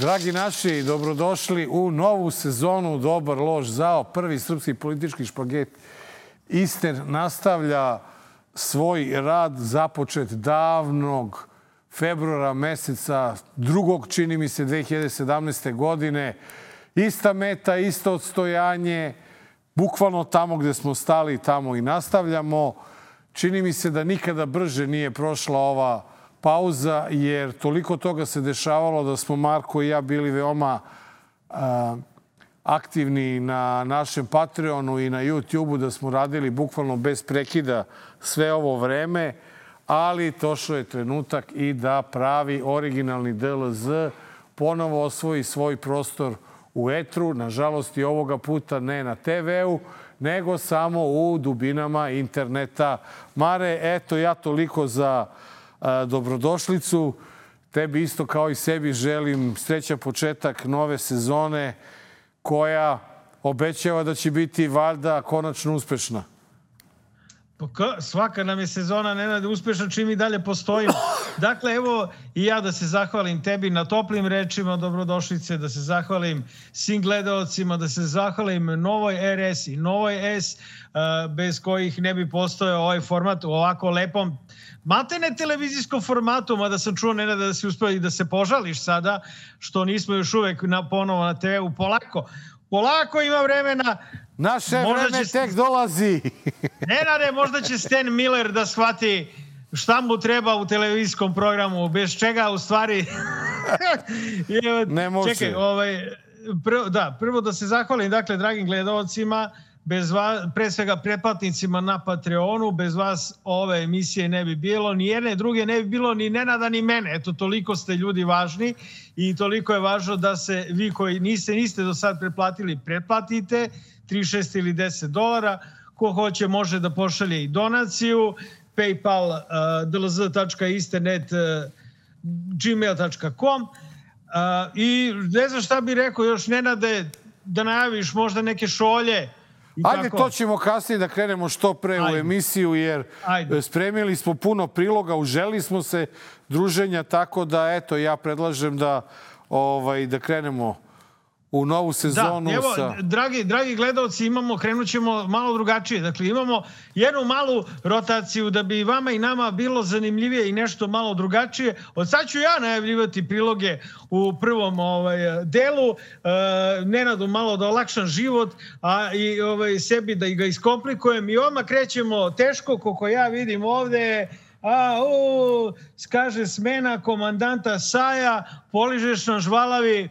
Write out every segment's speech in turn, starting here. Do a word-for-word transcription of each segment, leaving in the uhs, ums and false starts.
Dragi naši, dobrodošli u novu sezonu Dobar loš zao. Prvi srpski politički špaget Ister nastavlja svoj rad započet davnog februara meseca, drugog, čini mi se, dve hiljade sedamnaeste. godine. Ista meta, isto odstojanje, bukvalno tamo gde smo stali, tamo i nastavljamo. Čini mi se da nikada brže nije prošla ova pauza, jer toliko toga se dešavalo da smo Marko i ja bili veoma a, aktivni na našem Patreonu i na YouTubeu, da smo radili bukvalno bez prekida sve ovo vreme, ali došao je trenutak i da pravi originalni D L Z ponovo osvoji svoj prostor u etru. Nažalost, i ovoga puta ne na te veu, nego samo u dubinama interneta. Mare, eto, ja toliko za a, dobrodošlicu. Tebi isto kao i sebi želim srećan početak nove sezone koja obećava da će biti valjda konačno uspešna. Svaka nam je sezona, Nenade, uspešna čim i dalje postojimo. Dakle, evo i ja da se zahvalim tebi na toplim rečima dobrodošlice, da se zahvalim svim gledaocima, da se zahvalim Novoj R S i Novoj S, bez kojih ne bi postojao ovaj format u ovako lepom matene televizijskom formatu, mada sam čuo, Nenade, da si uspeo i da se požališ sada, što nismo još uvek na, ponovo na te veu. Polako, polako ima vremena. Naše vreme će, tek dolazi. Nenade, možda će Stan Miller da shvati šta mu treba u televizijskom programu, bez čega u stvari... ne može. Čekaj, ovaj, prvo, da, prvo da se zahvalim, dakle, dragim gledalcima, bez vas, pre svega pretplatnicima na Patreonu, bez vas ove emisije ne bi bilo, ni jedne druge ne bi bilo, ni Nenada, ni mene. Eto, toliko ste ljudi važni i toliko je važno da se vi koji niste, niste do sad pretplatili, pretplatite, tri, šest ili deset dolara. Ko hoće može da pošalje i donaciju, paypal uh, d l z tačka isternet uh, gmail tačka com uh, i ne znam šta bi rekao još, Nenade, da najaviš možda neke šolje. Ajde, to ćemo kasnije da krenemo što pre Ajde. u emisiju, jer Ajde. spremili smo puno priloga, uželi smo se druženja, tako da, eto, ja predlažem da, ovaj, da krenemo u novu sezonu. Da, evo, sa... dragi, dragi gledalci, imamo, krenut ćemo malo drugačije. Dakle, imamo jednu malu rotaciju da bi vama i nama bilo zanimljivije i nešto malo drugačije. Od sad ću ja najavljivati priloge u prvom ovaj, delu. E, Nenadu malo da olakšam život, a i ovaj, sebi da ga iskomplikujem. I odmah krećemo teško, koliko ja vidim ovde. A, u, kaže smena komandanta Saja, poližeš nam žvalavi.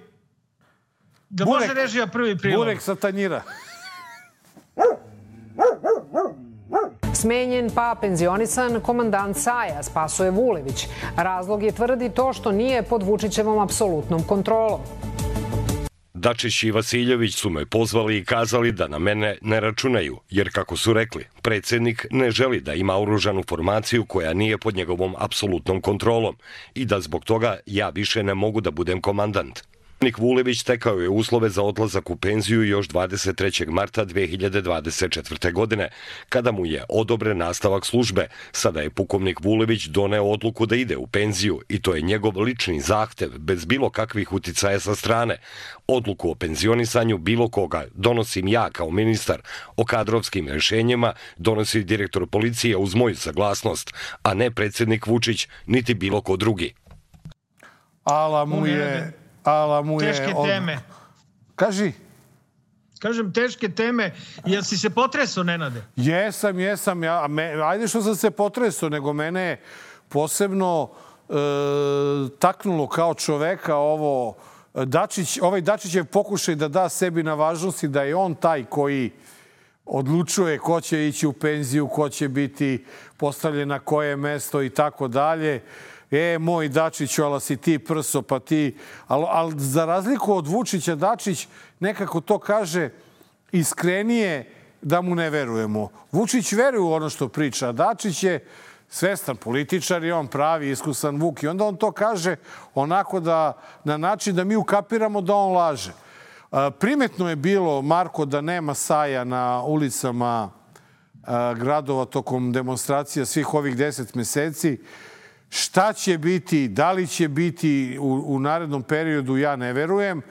Da Burek, može režija prvi prilog. Burek sa tanjira. Smenjen pa penzionisan komandant Saja, Spasoje Vulević. Razlog je, tvrdi, to što nije pod Vučićevom apsolutnom kontrolom. Dačić i Vasiljević su me pozvali i kazali da na mene ne računaju, jer, kako su rekli, predsjednik ne želi da ima oružanu formaciju koja nije pod njegovom apsolutnom kontrolom i da zbog toga ja više ne mogu da budem komandant. Nik Vulević tekao je uslove za odlazak u penziju još dvadeset trećeg marta dve hiljade dvadeset četvrte. godine, kada mu je odobren nastavak službe. Sada je pukovnik Vulević doneo odluku da ide u penziju i to je njegov lični zahtev, bez bilo kakvih uticaja sa strane. Odluku o penzionisanju bilo koga donosim ja kao ministar. O kadrovskim rješenjima donosi direktor policije uz moju saglasnost, a ne predsjednik Vučić, niti bilo ko drugi. Ala mu je... Ala mu je teške od... teme. Kaži. Kažem, teške teme. Jel si se potresao, Nenade? Jesam, jesam. Ja, me, ajde što sam se potresao, nego mene je posebno e, taknulo kao čoveka ovo Dačić, ovaj Dačićev pokušaj da da sebi na važnosti, da je on taj koji odlučuje ko će ići u penziju, ko će biti postavljen na koje mesto i tako dalje. E, moj Dačiću, ala si ti prso, pa ti... Ali al, za razliku od Vučića, Dačić nekako to kaže iskrenije da mu ne verujemo. Vučić veruje u ono što priča. Dačić je svestan političar i on pravi, iskusan Vuk. I onda on to kaže onako da, na način da mi ukapiramo da on laže. Primetno je bilo, Marko, da nema Saja na ulicama gradova tokom demonstracija svih ovih deset meseci. Šta će biti, da li će biti u, u narednom periodu, ja ne verujem.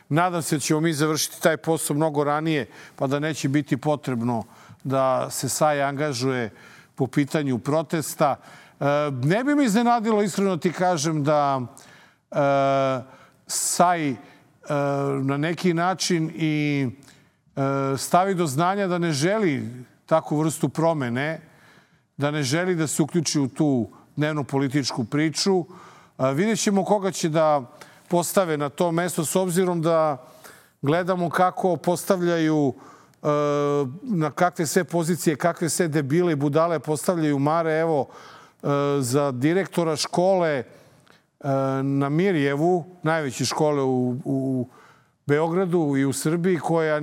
Nadam se da ćemo mi završiti taj posao mnogo ranije, pa da neće biti potrebno da se Saj angažuje po pitanju protesta. Ne bi mi iznenadilo, iskreno ti kažem, da Saj na neki način i stavi do znanja da ne želi takvu vrstu promene, da ne želi da se uključi u tu dnevnu političku priču. Vidjet ćemo koga će da postave na to mesto, s obzirom da gledamo kako postavljaju, na kakve sve pozicije, kakve sve debile i budale postavljaju Mare. Evo, za direktora škole na Mirjevu, najveće škole u, u Beogradu i u Srbiji, koja,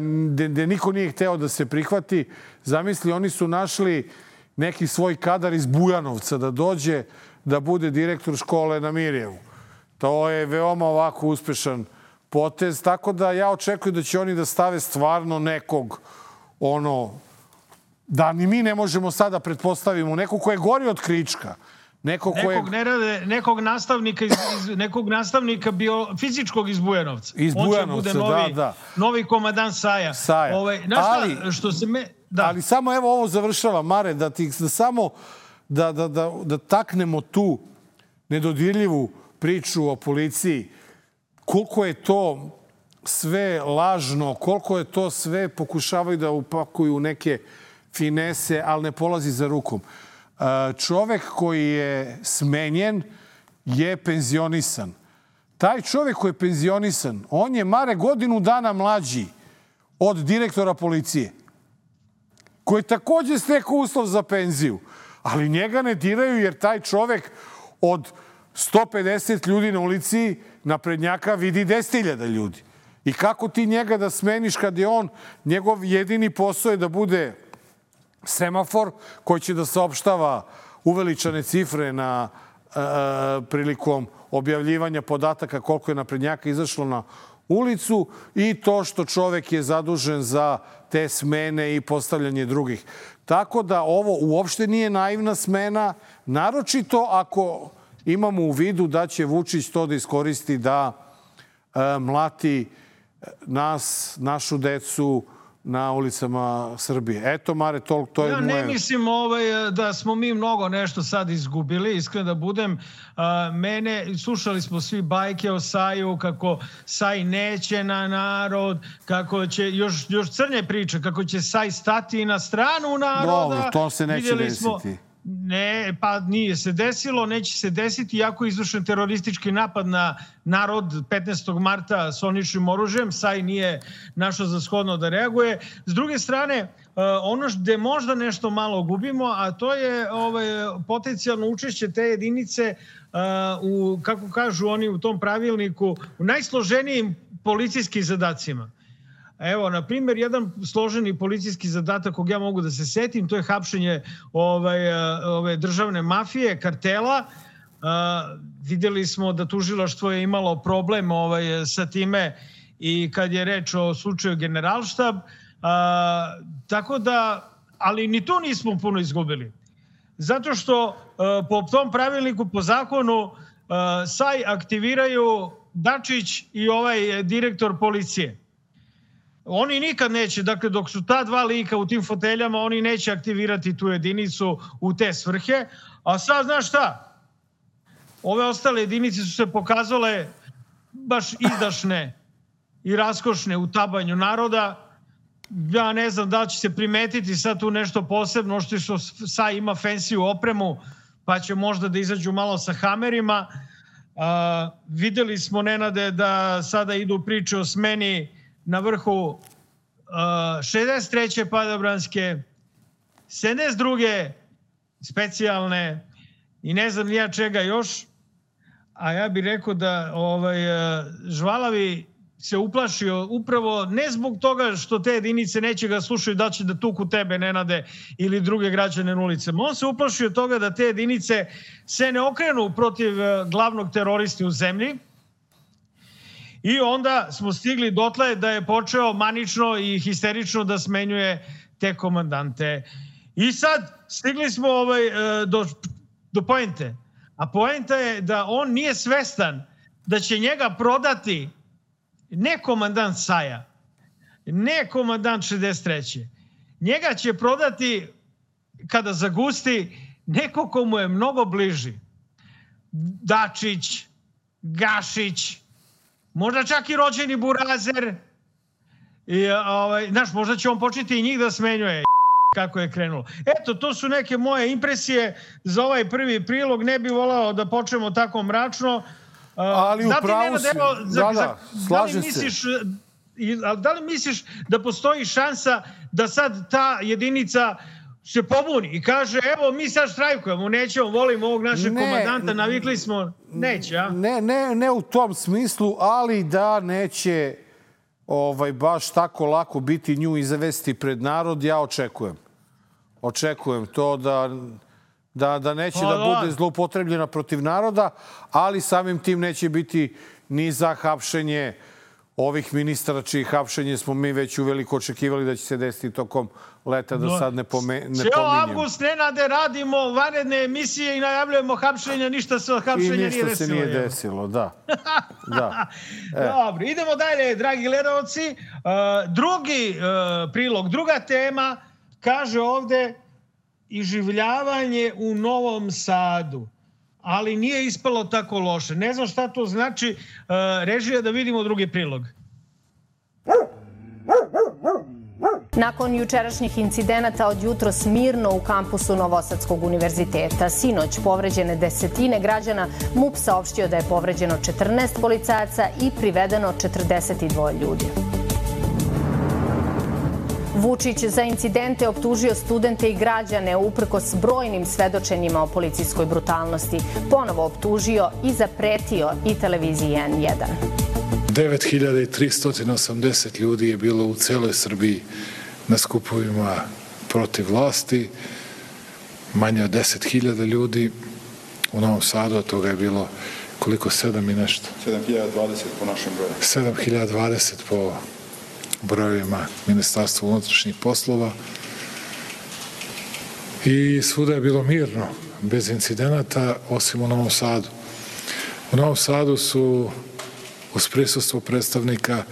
gde niko nije hteo da se prihvati. Zamisli, oni su našli neki svoj kadar iz Bujanovca da dođe da bude direktor škole na Mirjevu. To je veoma ovako uspešan potez, tako da ja očekujem da će oni da stave stvarno nekog, ono, da ni mi ne možemo sada pretpostavimo, nekog ko je gori od Krička. Nekog, nekog, ne rade, nekog nastavnika, iz, iz, nekog nastavnika bio, fizičkog iz Bujanovca. Iz Bujanovca, on će bude novi, da, da. Novi komadant Saja. Saja. Ovaj, ali, šta, što se me, da. ali samo evo ovo završava, Mare, da, ti, da samo da, da, da, da taknemo tu nedodirljivu priču o policiji. Koliko je to sve lažno, koliko je to sve pokušavaju da upakuju neke finese, ali ne polazi za rukom. Čovek koji je smenjen je penzionisan. Taj čovek koji je penzionisan, on je, Mare, godinu dana mlađi od direktora policije, koji takođe stekao uslov za penziju. Ali njega ne diraju jer taj čovek od sto pedeset ljudi na ulici naprednjaka vidi deset hiljada ljudi. I kako ti njega da smeniš kad je on, njegov jedini posao je da bude semafor koji će da saopštava uveličane cifre na e, prilikom objavljivanja podataka koliko je naprednjaka izašlo na ulicu i to što čovek je zadužen za te smene i postavljanje drugih. Tako da ovo uopšte nije naivna smena, naročito ako imamo u vidu da će Vučić to da iskoristi da e, mlati nas, našu decu, na ulicama Srbije. Eto, Mare, to, to je ja moje... Ja ne mislim ovaj, da smo mi mnogo nešto sad izgubili. Iskreno da budem, a, mene, slušali smo svi bajke o Saju, kako Saj neće na narod, kako će, još, još crnje priče, kako će Saj stati na stranu naroda. Dobro, to se neće Vidjeli desiti. Smo, ne, pa nije se desilo, neće se desiti, iako je izvršen teroristički napad na narod petnaestog marta s oničnim oružjem. Saj nije našao za shodno da reaguje. S druge strane, ono gde možda nešto malo gubimo, a to je ovaj, potencijalno učešće te jedinice u, kako kažu oni u tom pravilniku, u najsloženijim policijskim zadacima. Evo, na primjer, jedan složeni policijski zadatak kog ja mogu da se setim, to je hapšenje ovaj, ove državne mafije, kartela. Uh, vidjeli smo da tužilaštvo je imalo problem ovaj, sa time i kad je reč o slučaju Generalštab. Uh, tako da, ali ni tu nismo puno izgubili. Zato što uh, po tom pravilniku, po zakonu, uh, Saj aktiviraju Dačić i ovaj direktor policije. Oni nikad neće, dakle dok su ta dva lika u tim foteljama, oni neće aktivirati tu jedinicu u te svrhe. A sad, znaš šta? Ove ostale jedinice su se pokazale baš izdašne i raskošne u tabanju naroda. Ja ne znam da li će se primetiti sad tu nešto posebno, što što Saj ima fancy opremu, pa će možda da izađu malo sa hamerima. A, videli smo, Nenade, da sada idu priče o smeni na vrhu uh, šezdeset treće padobranske, sedamdeset druge specijalne i ne znam ja čega još. A ja bih rekao da ovaj, Žvalavi se uplašio upravo ne zbog toga što te jedinice neće ga slušaju da će da tuku tebe, Nenade, ili druge građane na ulicama. On se uplašio toga da te jedinice se ne okrenu protiv glavnog teroristi u zemlji. I onda smo stigli dotle da je počeo manično i histerično da smenjuje te komandante. I sad stigli smo ovaj, do, do poente. A poenta je da on nije svestan da će njega prodati ne komandant Saja, ne komandant šezdeset treće. Njega će prodati, kada zagusti, neko ko mu je mnogo bliži. Dačić, Gašić, možda čak i rođeni Burazer. I, ovaj, znaš, možda će on početi i njih da smenjuje kako je krenulo. Eto, to su neke moje impresije za ovaj prvi prilog. Ne bih volao da počnemo tako mračno. Ali upravo si. Da, da, slažem se. Da li misliš da postoji šansa da sad ta jedinica se pobuni i kaže, evo, mi sad štrajkujemo, nećemo, volimo ovog našeg ne, komandanta, navikli smo, neće, a? Ne, ne, ne u tom smislu, ali da neće ovaj, baš tako lako biti nju izvesti pred narod, ja očekujem. Očekujem to da, da, da neće pa, da bude zloupotrebljena protiv naroda, ali samim tim neće biti ni za hapšenje ovih ministara, čiji hapšenje smo mi već uveliko očekivali da će se desiti tokom leta, da sad ne, pome, ne pominjem. Cijel avgust, Nenade, radimo vanredne emisije i najavljujemo hapšenja, ništa se od hapšenja nije desilo. I ništa se nije desilo, da. da. E. Dobro, idemo dalje, dragi gledalci. Drugi prilog, druga tema, kaže ovde iživljavanje u Novom Sadu. Ali nije ispalo tako loše. Ne znam šta to znači. Režija, da vidimo drugi prilog. Nakon jučerašnjih incidenata od jutros mirno u kampusu Novosadskog univerziteta, sinoć povređene desetine građana, MUP saopštio da je povređeno četrnaest policajaca i privedeno četrdeset dvoje ljudi. Vučić za incidente optužio studente i građane uprkos brojnim svedočenjima o policijskoj brutalnosti. Ponovo optužio i zapretio i televiziji N jedan. devet hiljada tristo osamdeset ljudi je bilo u celoj Srbiji na skupovima protiv vlasti. Manje od deset hiljada ljudi u Novom Sadu, od toga je bilo koliko, sedam i nešto? sedam hiljada dvadeset po našem broju. sedam hiljada dvadeset po brojevima Ministarstva unutrašnjih poslova. I svuda je bilo mirno, bez incidenata, osim u Novom Sadu. U Novom Sadu su uz prisustvo predstavnika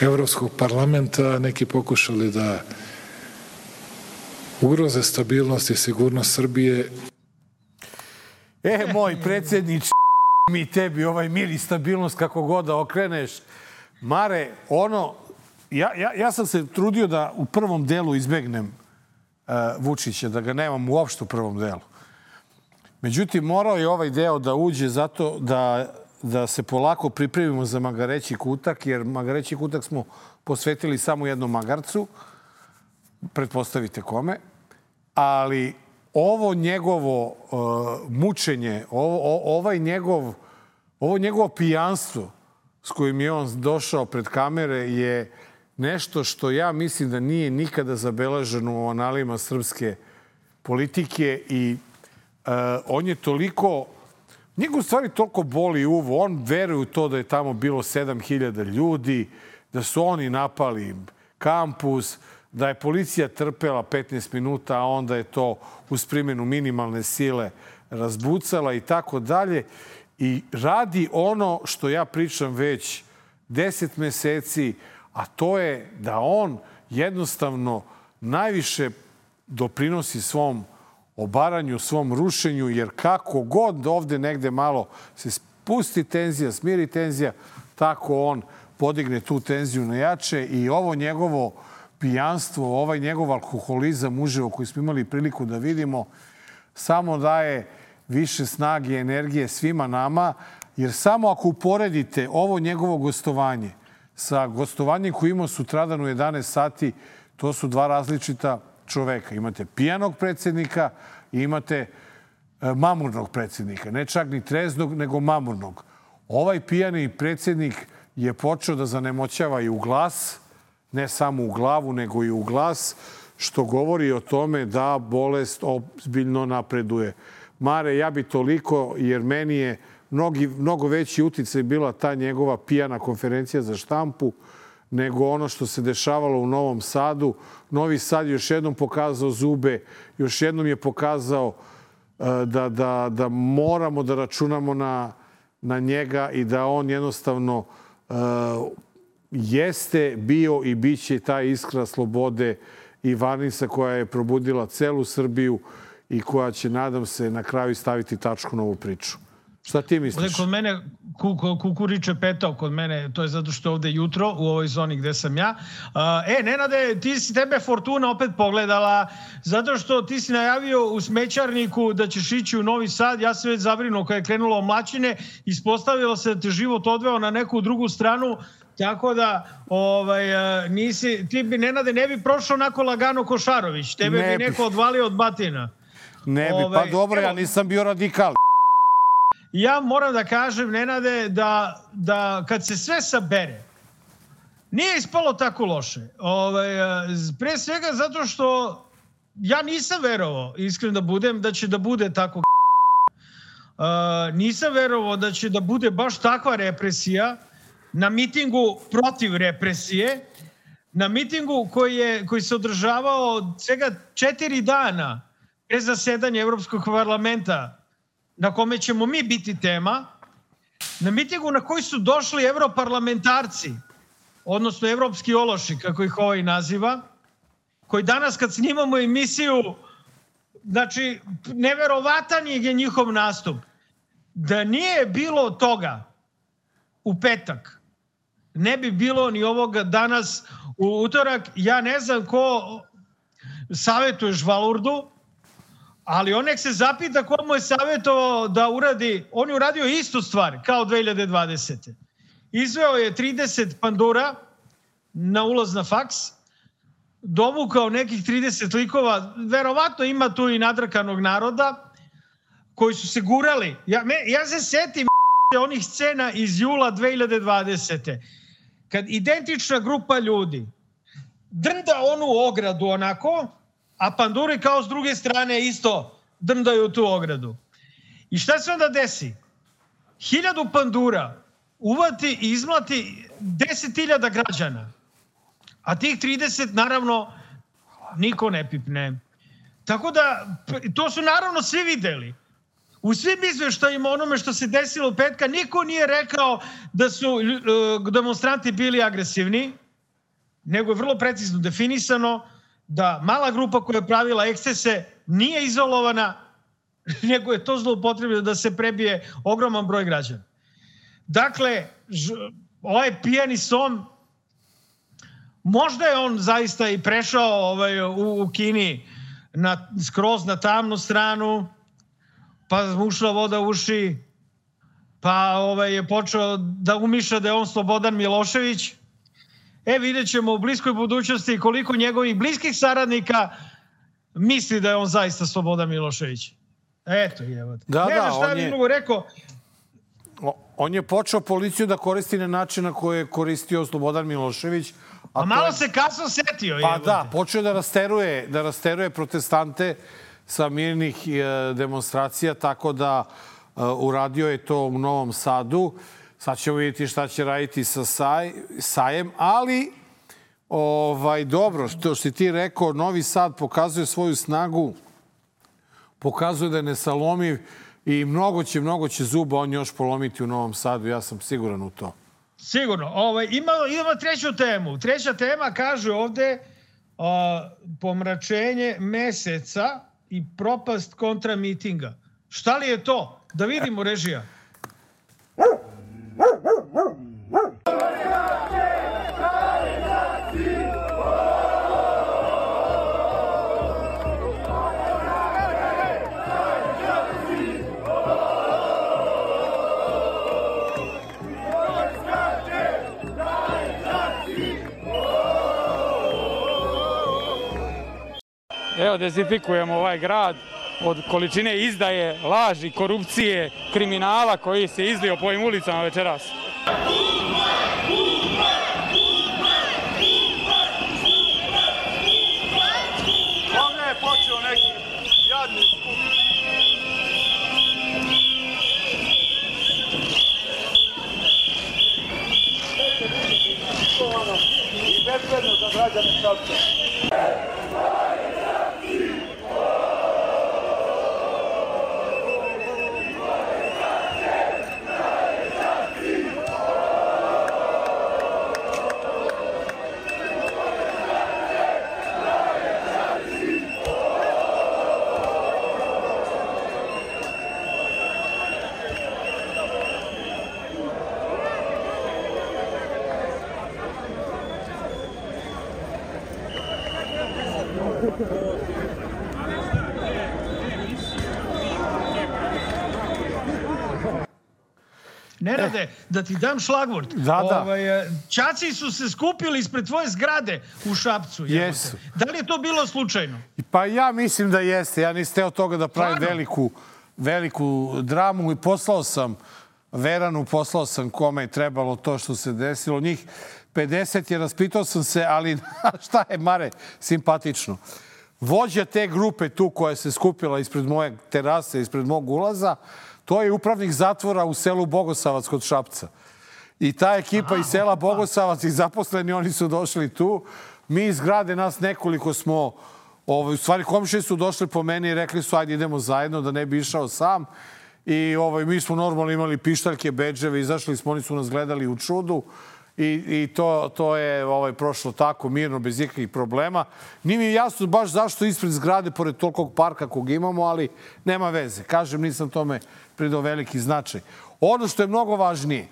Evropskog parlamenta neki pokušali da ugroze stabilnost i sigurnost Srbije. E, moj predsjedniče, mi tebi ovaj mir i stabilnost kako god da okreneš. Mare, ono, ja, ja, ja sam se trudio da u prvom delu izbegnem uh, Vučića, da ga nemam uopšte u prvom delu. Međutim, morao je ovaj deo da uđe zato da da se polako pripremimo za Magareći kutak, jer Magareći kutak smo posvetili samo jednom magarcu, pretpostavite kome, ali ovo njegovo uh, mučenje, ovo, o, ovaj njegov, ovo njegovo pijanstvo s kojim je on došao pred kamere je nešto što ja mislim da nije nikada zabeleženo u analima srpske politike i uh, on je toliko Njega u stvari toliko boli uvo. On veruje u to da je tamo bilo sedam hiljada ljudi, da su oni napali kampus, da je policija trpela petnaest minuta, a onda je to uz primjenu minimalne sile razbucala i tako dalje. I radi ono što ja pričam već deset meseci, a to je da on jednostavno najviše doprinosi svom obaranju, svom rušenju, jer kako god ovde negde malo se spusti tenzija, smiri tenzija, tako on podigne tu tenziju na jače i ovo njegovo pijanstvo, ovaj njegov alkoholizam uživo koji smo imali priliku da vidimo, samo daje više snage i energije svima nama, jer samo ako uporedite ovo njegovo gostovanje sa gostovanjem koje imao sutradan u jedanaest sati, to su dva različita čoveka. Imate pijanog predsjednika i imate mamurnog predsjednika. Ne čak ni treznog, nego mamurnog. Ovaj pijani predsjednik je počeo da zanemoćava i u glas, ne samo u glavu, nego i u glas, što govori o tome da bolest ozbiljno napreduje. Mare, ja bi toliko, jer meni je mnogi, mnogo veći uticaj bila ta njegova pijana konferencija za štampu, nego ono što se dešavalo u Novom Sadu. Novi Sad još jednom pokazao zube, još jednom je pokazao da, da, da moramo da računamo na, na njega i da on jednostavno uh, jeste bio i bit će ta iskra slobode i varnica koja je probudila celu Srbiju i koja će, nadam se, na kraju staviti tačku na ovu priču. Šta ti misliš? Kod mene kukuriče petao kod mene, to je zato što je ovde jutro u ovoj zoni gde sam ja. E, Nenade, ti si tebe Fortuna opet pogledala, zato što ti si najavio u smećarniku da ćeš ići u Novi Sad. Ja sam već zabrinuo kada je krenulo omlačine, ispostavilo se da te život odveo na neku drugu stranu, tako da ovaj, nisi, ti bi, Nenade, ne bi prošao onako lagano ko Šarović. Tebe ne bi neko odvalio od batina. Ne bi, pa dobro, ja nisam bio radikal. Ja moram da kažem, Nenade, da, da kad se sve sabere, nije ispalo tako loše. Ovaj, pre svega zato što ja nisam verovao, iskreno da budem, da će da bude tako. Uh, nisam verovao da će da bude baš takva represija na mitingu protiv represije, na mitingu koji, je, koji se održavao svega četiri dana pre zasedanja Evropskog parlamenta, na kome ćemo mi biti tema, na mitingu na koji su došli evroparlamentarci, odnosno evropski ološi, kako ih ovaj naziva, koji danas kad snimamo emisiju, znači, neverovatan je njihov nastup. Da nije bilo toga u petak, ne bi bilo ni ovoga danas u utorak. Ja ne znam ko savjetuje Žvalurdu, ali on nek se zapita ko mu je savjetovao da uradi, on je uradio istu stvar kao dve hiljade dvadesete. Izveo je trideset pandura na ulaz na faks, dovukao nekih trideset likova, verovatno ima tu i nadrkanog naroda, koji su se gurali. Ja, me, ja se setim onih scena iz jula dve hiljade dvadesete. Kad identična grupa ljudi drnda onu ogradu onako, a panduri kao s druge strane isto drndaju tu ogradu. I šta se onda desi? Hiljadu pandura uvati i izmlati deset hiljada građana. A tih trideset, naravno, niko ne pipne. Tako da, to su naravno svi videli. U svim izveštajima onome što se desilo petka, niko nije rekao da su uh, demonstranti bili agresivni, nego je vrlo precizno definisano da mala grupa koja je pravila ekscese nije izolovana, nego je to zloupotrebljeno da se prebije ogroman broj građana. Dakle, ž, ovaj pijani som, možda je on zaista i prešao ovaj, u, u Kini na, skroz na tamnu stranu, pa mu ušla voda u uši, pa ovaj, je počeo da umišlja da je on Slobodan Milošević. E, vidjet ćemo u bliskoj budućnosti koliko njegovih bliskih saradnika misli da je on zaista Slobodan Milošević. Eto, evo. Da, ne znam šta bi mnogo rekao. On je počeo policiju da koristi na način na koji je koristio Slobodan Milošević. A, a malo je... se kasno setio. Pa da, počeo da rasteruje, da rasteruje protestante sa mirnih demonstracija, tako da uh, uradio je to u Novom Sadu. Sad ćemo vidjeti šta će raditi sa saj, Sajem, ali ovaj, dobro, što si ti rekao, Novi Sad pokazuje svoju snagu, pokazuje da je nesalomiv i mnogo će, mnogo će zuba on još polomiti u Novom Sadu, ja sam siguran u to. Sigurno. Ovaj, imamo, imamo treću temu. Treća tema kaže ovde uh, pomračenje meseca i propast kontra mitinga. Šta li je to? Da vidimo, režija. Evo, dezinfikujemo ovaj grad od količine izdaje, laži, korupcije, kriminala koji se izlio po ovim ulicama večeras. Ovdje je počeo neki jadni skup. I bezbedno za građane Šapca. Nenade, da ti dam šlagvort. Da, da. Ovaj, Čaci su se skupili ispred tvoje zgrade u Šapcu. Jesu. Da li je to bilo slučajno? Pa ja mislim da jeste. Ja nisam teo toga da pravim veliku, veliku dramu i poslao sam Veranu, poslao sam kome je trebalo to što se desilo. Njih pedeset je, raspitao sam se, ali šta je, Mare, simpatično. Vođa te grupe tu koja se skupila ispred moje terase, ispred mog ulaza, to je upravnik zatvora u selu Bogosavac kod Šapca. I ta ekipa iz sela Bogosavac i zaposleni, oni su došli tu. Mi iz grade, nas nekoliko smo, ovaj, u stvari komšije su došli po meni i rekli su ajde idemo zajedno da ne bi išao sam. I ovaj, mi smo normalno imali pištaljke, bedževe, izašli smo, oni su nas gledali u čudu. I, i to, to je ovaj, prošlo tako mirno, bez ikakvih problema. Nije mi jasno baš zašto ispred zgrade, pored tolikog parka kog imamo, ali nema veze. Kažem, nisam tome pridao veliki značaj. Ono što je mnogo važnije,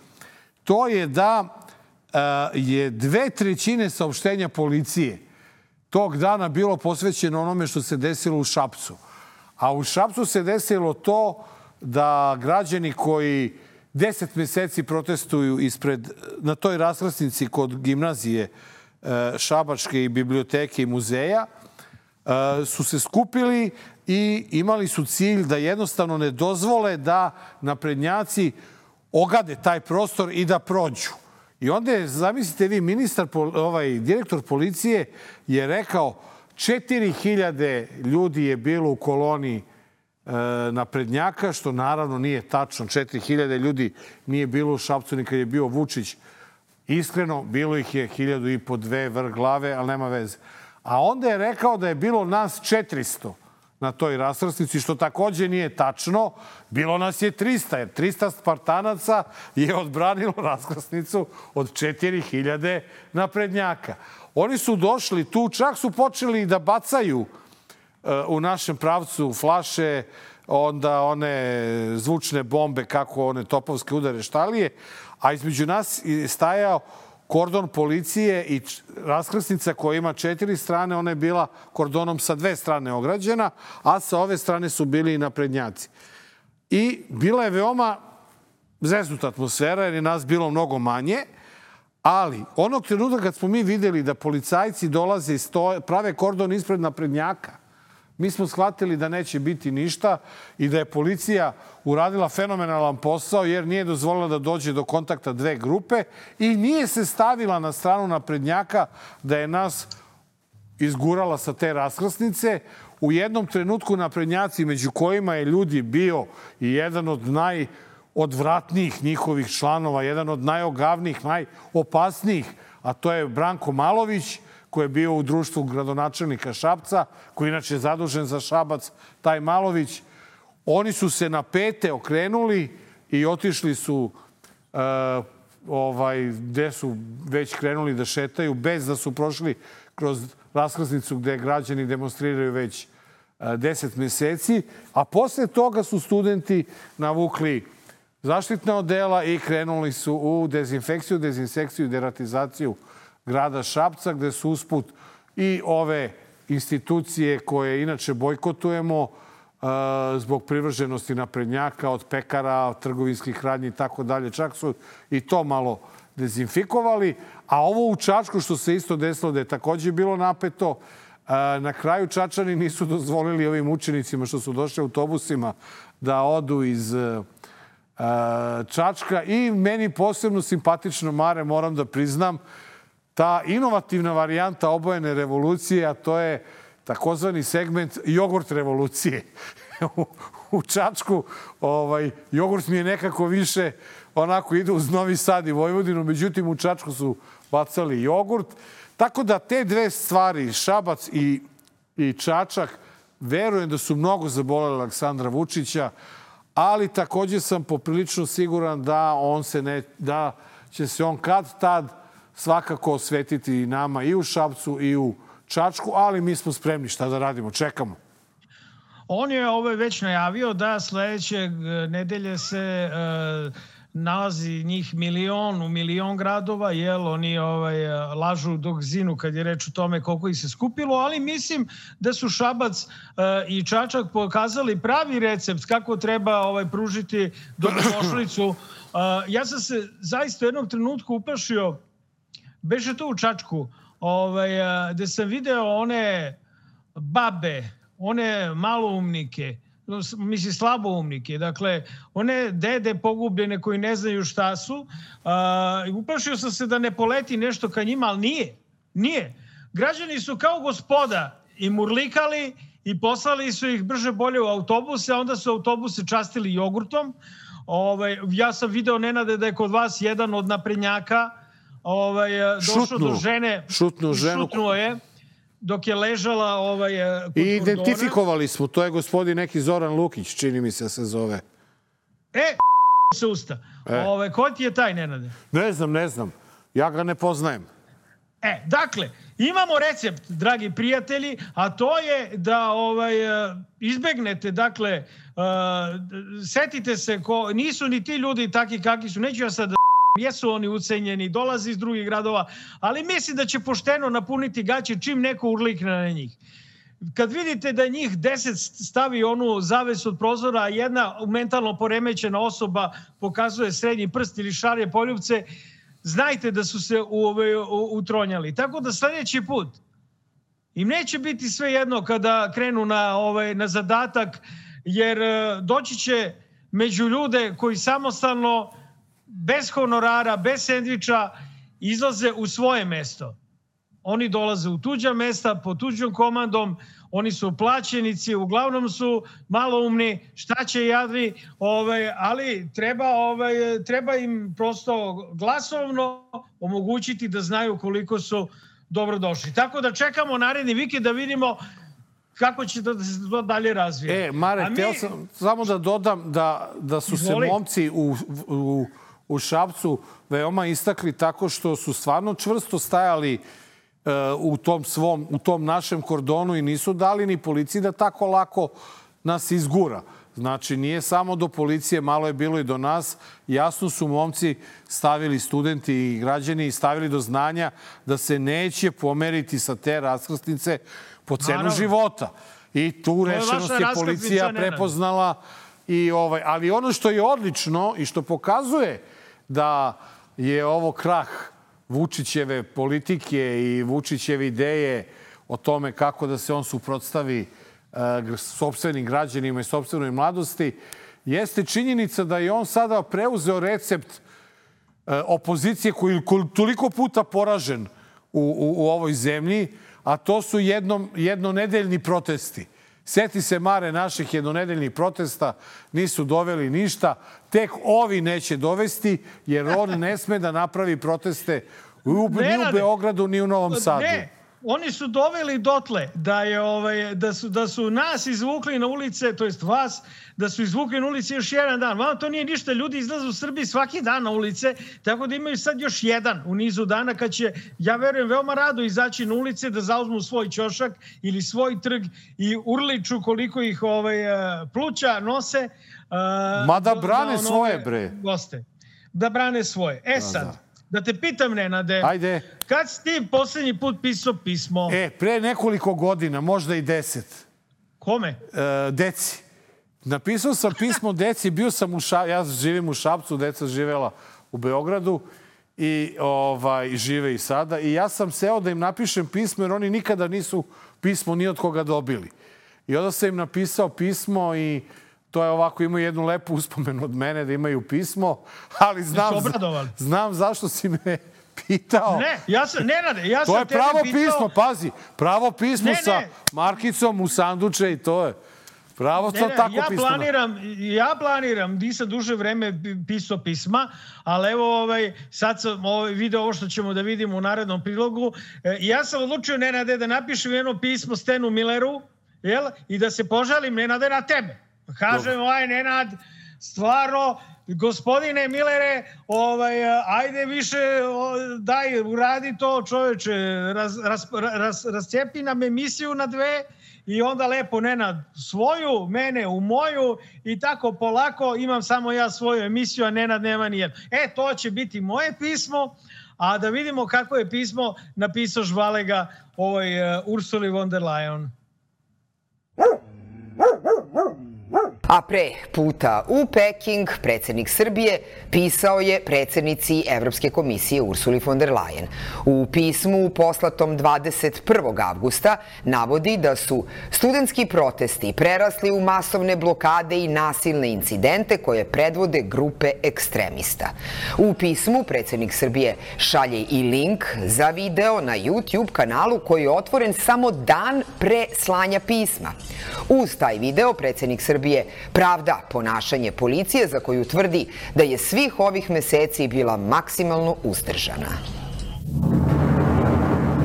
to je da uh, je dve trećine saopštenja policije tog dana bilo posvećeno onome što se desilo u Šapcu. A u Šapcu se desilo to da građani koji deset meseci protestuju ispred, na toj raskrsnici kod gimnazije Šabačke i biblioteke i muzeja, su se skupili i imali su cilj da jednostavno ne dozvole da naprednjaci ogade taj prostor i da prođu. I onda je, zamislite vi, ministar, ovaj, direktor policije je rekao četiri hiljade ljudi je bilo u koloni naprednjaka, što naravno nije tačno. četiri hiljade ljudi nije bilo u Šapcu ni kad je bio Vučić. Iskreno, bilo ih je hiljadu i po dve vrh glave, ali nema veze. A onda je rekao da je bilo nas četiristo na toj raskrsnici, što takođe nije tačno. Bilo nas je trista, jer trista Spartanaca je odbranilo raskrsnicu od četiri hiljade naprednjaka. Oni su došli tu, čak su počeli da bacaju u našem pravcu flaše, onda one zvučne bombe, kako one topovske udare štalije, a između nas je stajao kordon policije i raskrsnica koja ima četiri strane, ona je bila kordonom sa dve strane ograđena, a sa ove strane su bili i naprednjaci. I bila je veoma zeznuta atmosfera, jer je nas bilo mnogo manje, ali onog trenutka kad smo mi videli da policajci dolaze i stoje, prave kordon ispred naprednjaka, mi smo shvatili da neće biti ništa i da je policija uradila fenomenalan posao jer nije dozvolila da dođe do kontakta dve grupe i nije se stavila na stranu naprednjaka da je nas izgurala sa te raskrsnice. U jednom trenutku naprednjaci, među kojima je ljudi bio i jedan od najodvratnijih njihovih članova, jedan od najogavnijih, najopasnijih, a to je Branko Malović, koji je bio u društvu gradonačelnika Šapca, koji inače je zadužen za Šabac, taj Malović. Oni su se na pete okrenuli i otišli su uh, ovaj, gde su već krenuli da šetaju, bez da su prošli kroz raskrsnicu gde građani demonstriraju već uh, deset meseci. A posle toga su studenti navukli zaštitna odela i krenuli su u dezinfekciju, dezinsekciju i deratizaciju grada Šapca, gde su usput i ove institucije koje inače bojkotujemo uh, zbog privrženosti naprednjaka, od pekara, od trgovinskih radnji i tako dalje. Čak su i to malo dezinfikovali. A ovo u Čačku što se isto desilo da je takođe bilo napeto, uh, na kraju Čačani nisu dozvolili ovim učenicima što su došli autobusima da odu iz uh, Čačka. I meni posebno simpatično, Mare, moram da priznam, ta inovativna varijanta obojene revolucije, a to je takozvani segment jogurt revolucije. u, u Čačku ovaj, jogurt mi je nekako više onako ide uz Novi Sad i Vojvodinu, međutim u Čačku su bacali jogurt. Tako da te dve stvari, Šabac i, i Čačak, verujem da su mnogo zaboleli Aleksandra Vučića, ali takođe sam poprilično siguran da, on se ne, da će se on kad tad svakako osvetiti i nama i u Šapcu i u Čačku, ali mi smo spremni, šta da radimo, čekamo. On je ovaj već najavio da sledeće nedelje se nalazi njih milion u milion gradova, jel, oni ovaj, lažu dok zinu kad je reč o tome koliko ih se skupilo, ali mislim da su Šabac uh, i Čačak pokazali pravi recept kako treba ovaj, pružiti dobrodošlicu. Uh, ja sam se zaista u jednom trenutku uplašio, beše to u Čačku, ovaj, gde sam video one babe, one maloumnike, mislim slaboumnike, dakle, one dede pogubljene koji ne znaju šta su. Uh, uplašio sam se da ne poleti nešto ka njima, ali nije. Nije. Građani su kao gospoda i murlikali i poslali su ih brže bolje u autobuse, a onda su autobuse častili jogurtom. Ovaj, ja sam video, Nenade, da je kod vas jedan od naprednjaka ovaj, došao šutnu, do žene. Šutnu ženu. Šutnuo je dok je ležala ovaj, kod i identifikovali smo, to je gospodin neki Zoran Lukić, čini mi se se zove. E, se usta. E. Ove, ko ti je taj, Nenade? Ne znam, ne znam. Ja ga ne poznajem. E, dakle, imamo recept, dragi prijatelji, a to je da ovaj, izbegnete, dakle, uh, setite se, ko, nisu ni ti ljudi taki kakvi su, neću ja sad da jesu oni ucenjeni, dolazi iz drugih gradova, ali mislim da će pošteno napuniti gaće čim neko urlikne na njih. Kad vidite da njih deset stavi onu zavesu od prozora, a jedna mentalno poremećena osoba pokazuje srednji prst ili šarje poljubce, znajte da su se u, u, utronjali. Tako da sljedeći put im neće biti sve jedno kada krenu na, ovaj, na zadatak, jer doći će među ljude koji samostalno, bez honorara, bez sendviča, izlaze u svoje mesto. Oni dolaze u tuđa mesta, pod tuđom komandom, oni su plaćenici, uglavnom su maloumni, šta će jadni, ovaj, ali treba, ovaj, treba im prosto glasovno omogućiti da znaju koliko su dobrodošli. Tako da čekamo naredni vikend da vidimo kako će da se to dalje razvije. E, Mare, mi... teo sam samo da dodam da, da su Izvoli. se momci u, u, u Šapcu veoma istakli tako što su stvarno čvrsto stajali u tom svom, u tom našem kordonu i nisu dali ni policiji da tako lako nas izgura. Znači, nije samo do policije, malo je bilo i do nas. Jasno su momci stavili, studenti i građani, stavili do znanja da se neće pomeriti sa te raskrsnice po cenu Naravno. života. I tu rešenost je policija prepoznala. I ovaj, ali ono što je odlično i što pokazuje da je ovo krah Vučićeve politike i Vučićeve ideje o tome kako da se on suprotstavi uh, sopstvenim građanima i sopstvenoj mladosti, jeste činjenica da je on sada preuzeo recept uh, opozicije koji je toliko puta poražen u, u, u ovoj zemlji, a to su jednom, jednonedeljni protesti. Sjeti se, Mare, naših jednonedeljnih protesta, nisu doveli ništa. Tek ovi neće dovesti, jer on ne sme da napravi proteste u, ni u Beogradu, ni u Novom Sadu. Ne, oni su doveli dotle da, je, ovaj, da, su, da su nas izvukli na ulice, to jest vas, da su izvukli na ulice još jedan dan. Vama to nije ništa, ljudi izlaze u Srbiji svaki dan na ulice, tako da imaju sad još jedan u nizu dana kad će, ja verujem, veoma rado izaći na ulice da zauzmu svoj ćošak ili svoj trg i urliču koliko ih ovaj, pluća nose. Mada brane svoje, bre. Goste. Da brane svoje. E sad, da, da te pitam, Nenade, ajde. Kad si ti poslednji put pisao pismo? E, pre nekoliko godina, možda i deset. Kome? E, deci. Napisao sam pismo deci, bio sam u Šapcu, ja živim u Šapcu, deca živela u Beogradu i ovaj, žive i sada. I ja sam seo da im napišem pismo, jer oni nikada nisu pismo ni od koga dobili. I onda sam im napisao pismo i to je ovako, imaju jednu lepu uspomenu od mene da imaju pismo, ali znam, znam zašto si me pitao. Ne, ja sam, Nenade, ja sam to je pravo pitao... pismo, pazi, pravo pismo ne, sa ne. markicom u sanduče i to je. Pravo ne, ne, tako ja pismo. Planiram, ja planiram, nisam duže vreme pisao pisma, ali evo ovaj, sad sam ovaj, video ovo što ćemo da vidimo u narednom prilogu. E, ja sam odlučio, Nenade, da napišem jedno pismo Stenu Milleru, jel? I da se požalim, Nenade, na tebe. Kažem, ovaj, Nenad, stvarno, gospodine Millere, ovaj, ajde više, daj, uradi to, čoveče, raz, raz, raz, rascijepi nam emisiju na dve i onda lepo Nenad svoju, mene u moju i tako polako imam samo ja svoju emisiju, a Nenad nema nijednu. E, to će biti moje pismo, a da vidimo kako je pismo napisao Žvalega ovoj uh, Ursuli von der Leyen. A pre puta u Peking, predsjednik Srbije pisao je predsjednici Evropske komisije Ursuli von der Leyen. U pismu poslatom dvadeset prvog avgusta navodi da su studentski protesti prerasli u masovne blokade i nasilne incidente koje predvode grupe ekstremista. U pismu predsjednik Srbije šalje i link za video na YouTube kanalu koji je otvoren samo dan pre slanja pisma. Uz taj video predsjednik Srbije pravda ponašanje policije za koju tvrdi da je svih ovih meseci bila maksimalno uzdržana.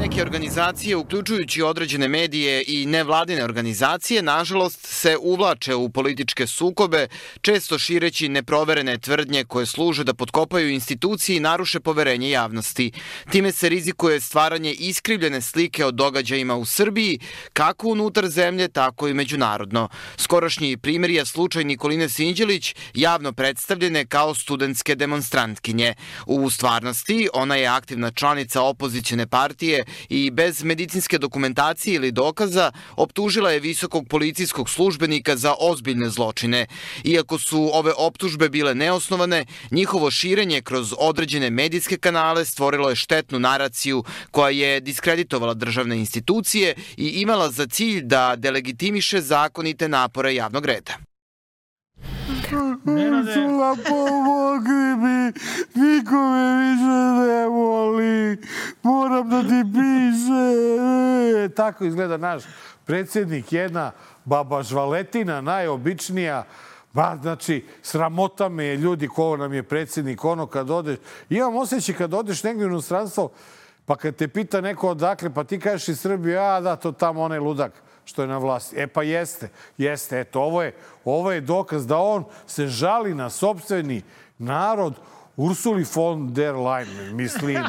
Neke organizacije, uključujući određene medije i nevladine organizacije, nažalost se uvlače u političke sukobe, često šireći neproverene tvrdnje koje služe da potkopaju institucije i naruše poverenje javnosti. Time se rizikuje stvaranje iskrivljene slike o događajima u Srbiji, kako unutar zemlje, tako i međunarodno. Skorašnji primjer je slučaj Nikoline Sinđelić, javno predstavljene kao studentske demonstrantkinje. U stvarnosti, ona je aktivna članica opozicione partije i bez medicinske dokumentacije ili dokaza optužila je visokog policijskog službenika za ozbiljne zločine. Iako su ove optužbe bile neosnovane, njihovo širenje kroz određene medijske kanale stvorilo je štetnu naraciju koja je diskreditovala državne institucije i imala za cilj da delegitimiše zakonite napore javnog reda. Ursula, pomogli mi, niko me više ne voli, moram da ti piše. Tako izgleda naš predsjednik, jedna baba žvaletina, najobičnija. Ba, znači, sramota me je ljudi ko nam je predsjednik, ono kad odeš. Imam osjećaj kad odeš negdje u inostranstvo, pa kad te pita neko odakle, pa ti kažeš iz Srbije, a da, to tamo onaj ludak što je na vlasti. E pa jeste, jeste. Eto, ovo je, ovo je dokaz da on se žali na sopstveni narod Ursuli von der Leyen, mislim.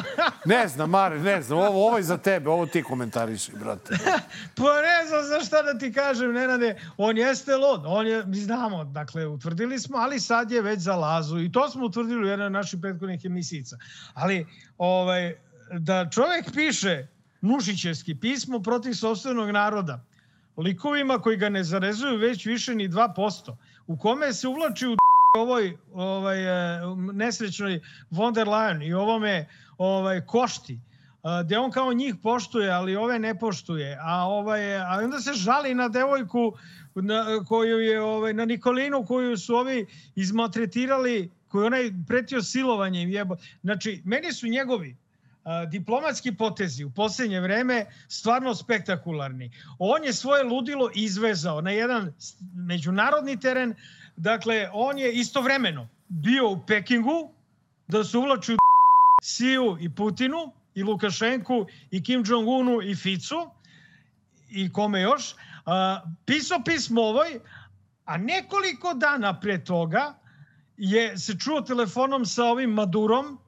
Ne znam, Mare, ne znam. Ovo, ovo je za tebe, ovo ti komentariši, brate. Pa ne znam za šta da ti kažem, Nenade. On jeste lud. On je, mi znamo, dakle, utvrdili smo, ali sad je već za Lazu. I to smo utvrdili u jednoj naših prethodnih emisijica. Ali, ovaj, da čovjek piše Nušićevski pismo protiv sopstvenog naroda, likovima koji ga ne zarezuju već više ni dva posto, u kome se uvlači u ovoj ovaj, nesrećnoj von der Leyen i ovome ovaj, Košti, gdje on kao njih poštuje, ali ove ne poštuje. A, ovaj, a onda se žali na devojku na, koju je, ovaj, na Nikolinu koju su ovi izmaltretirali, koju onaj pretio silovanjem. Jebo. Znači, meni su njegovi diplomatski potezi u posljednje vreme stvarno spektakularni. On je svoje ludilo izvezao na jedan međunarodni teren. Dakle, on je istovremeno bio u Pekingu da se uvlači u Siju i Putinu i Lukašenku i Kim Jong-unu i Ficu i kome još. Pisao pismo ovoj, a nekoliko dana pre toga je se čuo telefonom sa ovim Madurom,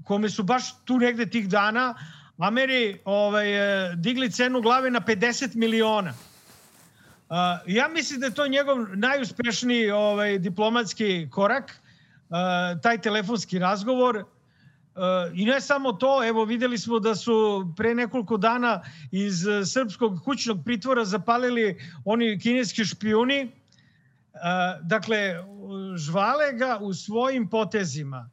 kome su baš tu negde tih dana Ameri ovaj, digli cenu glave na pedeset miliona. Uh, ja mislim da je to njegov najuspešniji ovaj, diplomatski korak, uh, taj telefonski razgovor. Uh, I ne samo to, evo vidjeli smo da su pre nekoliko dana iz srpskog kućnog pritvora zapalili oni kineski špijuni. Uh, dakle, žvale ga u svojim potezima.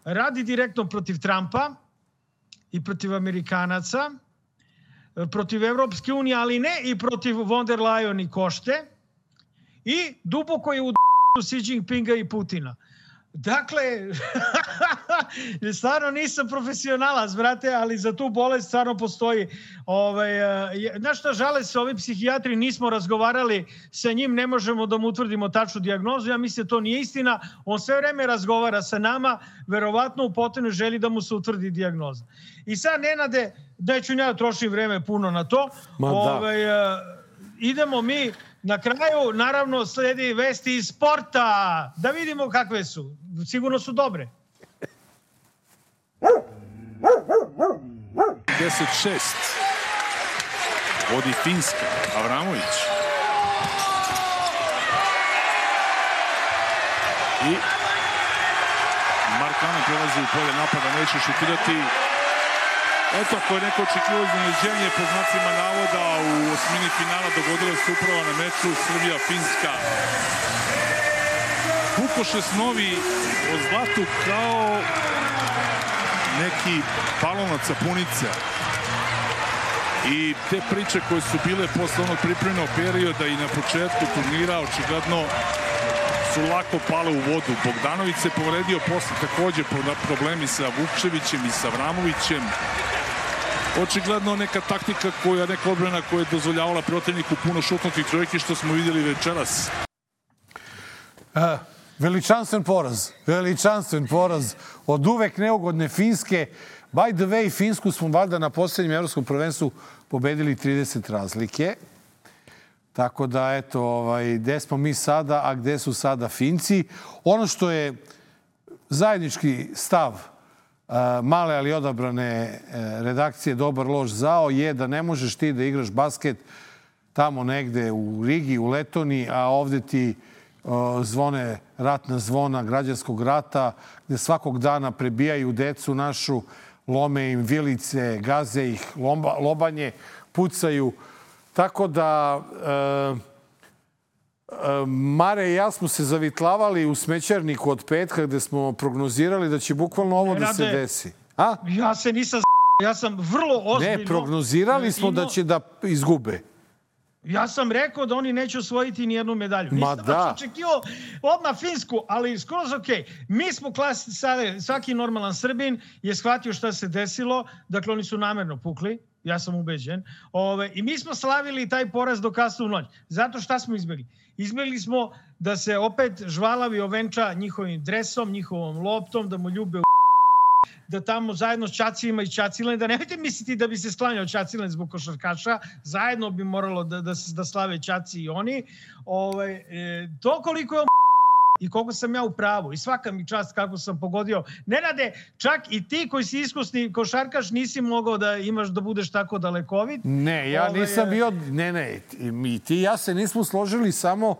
Radi direktno protiv Trumpa i protiv Amerikanaca, protiv Evropske unije, ali ne i protiv von der Leyen i Košte, i duboko je u Xi Jinpinga i Putina. Dakle, stvarno nisam profesionalac, brate, ali za tu bolest stvarno postoji. Ovaj, znaš šta, žale se ovi psihijatri, nismo razgovarali sa njim, ne možemo da mu utvrdimo tačnu dijagnozu. Ja mislim da to nije istina. On sve vreme razgovara sa nama, verovatno u potrebnoj želji da mu se utvrdi dijagnoza. I sad, Nenade, neću ja trošim vreme puno na to. Ovaj, idemo mi. Na kraju, naravno, sledi vesti iz sporta. Da vidimo kakve su. Sigurno su dobre. deset šest. Vodi Finska. Avramović. I Markano prelazi u polje napada, neće šutirati. Eto, ako je neko očekivao iznenađenje po znacima navoda u osmini finala, dogodilo se upravo na meču Srbija-Finska. Pukoše snovi o zlatu kao neki balon od sapunice. I te priče koje su bile posle onog pripremnog perioda i na početku turnira očigledno su lako pale u vodu. Bogdanović se povredio posle takođe problemi sa Vukčevićem i sa Avramovićem. Očigledno neka taktika koja, neka odbrana koja je dozvoljavala protivniku puno šutnutih trojki, što smo vidjeli večeras. Uh, veličanstven poraz. Veličanstven poraz od uvek neugodne Finske. By the way, Finsku smo valjda na posljednjem evropskom prvenstvu pobedili trideset razlike. Tako da, eto, ovaj, gde smo mi sada, a gde su sada Finci. Ono što je zajednički stav male, ali odabrane redakcije Dobar, loš, zao je da ne možeš ti da igraš basket tamo negde u Rigi, u Letoniji, a ovde ti zvone ratna zvona građanskog rata, gde svakog dana prebijaju decu našu, lome im vilice, gaze ih, lomba, lobanje, pucaju. Tako da e, e, Mare i ja smo se zavitlavali u smećarniku od petka gde smo prognozirali da će bukvalno ovo da se desi. A? Ja se nisam ja sam vrlo ozbiljno... Ne, prognozirali smo da će da izgube. Ja sam rekao da oni neće osvojiti ni jednu medalju. Ma Nisam da. očekivao odmah Finsku, ali skroz okej. Mi smo klasi, svaki normalan Srbin je shvatio šta se desilo. Dakle, oni su namerno pukli. Ja sam ubeđen. Ove, I mi smo slavili taj poraz do kasnu noć. Zato šta smo izbjegli? Izbjegli smo da se opet žvalavi ovenča njihovim dresom, njihovom loptom, da mu ljube u da tamo zajedno s Čacilima i Čacilen, da nemojte misliti da bi se sklanjao Čacilen zbog košarkaša, zajedno bi moralo da, da, da slave Čaci i oni. Ove, e, to koliko je i koliko sam ja u pravu i svaka mi čast kako sam pogodio. Nenade, čak i ti koji si iskusni košarkaš nisi mogao da imaš da budeš tako dalekovit. Ne, ja Ove, nisam bio... Ne, ne, i ti ja se nismo složili samo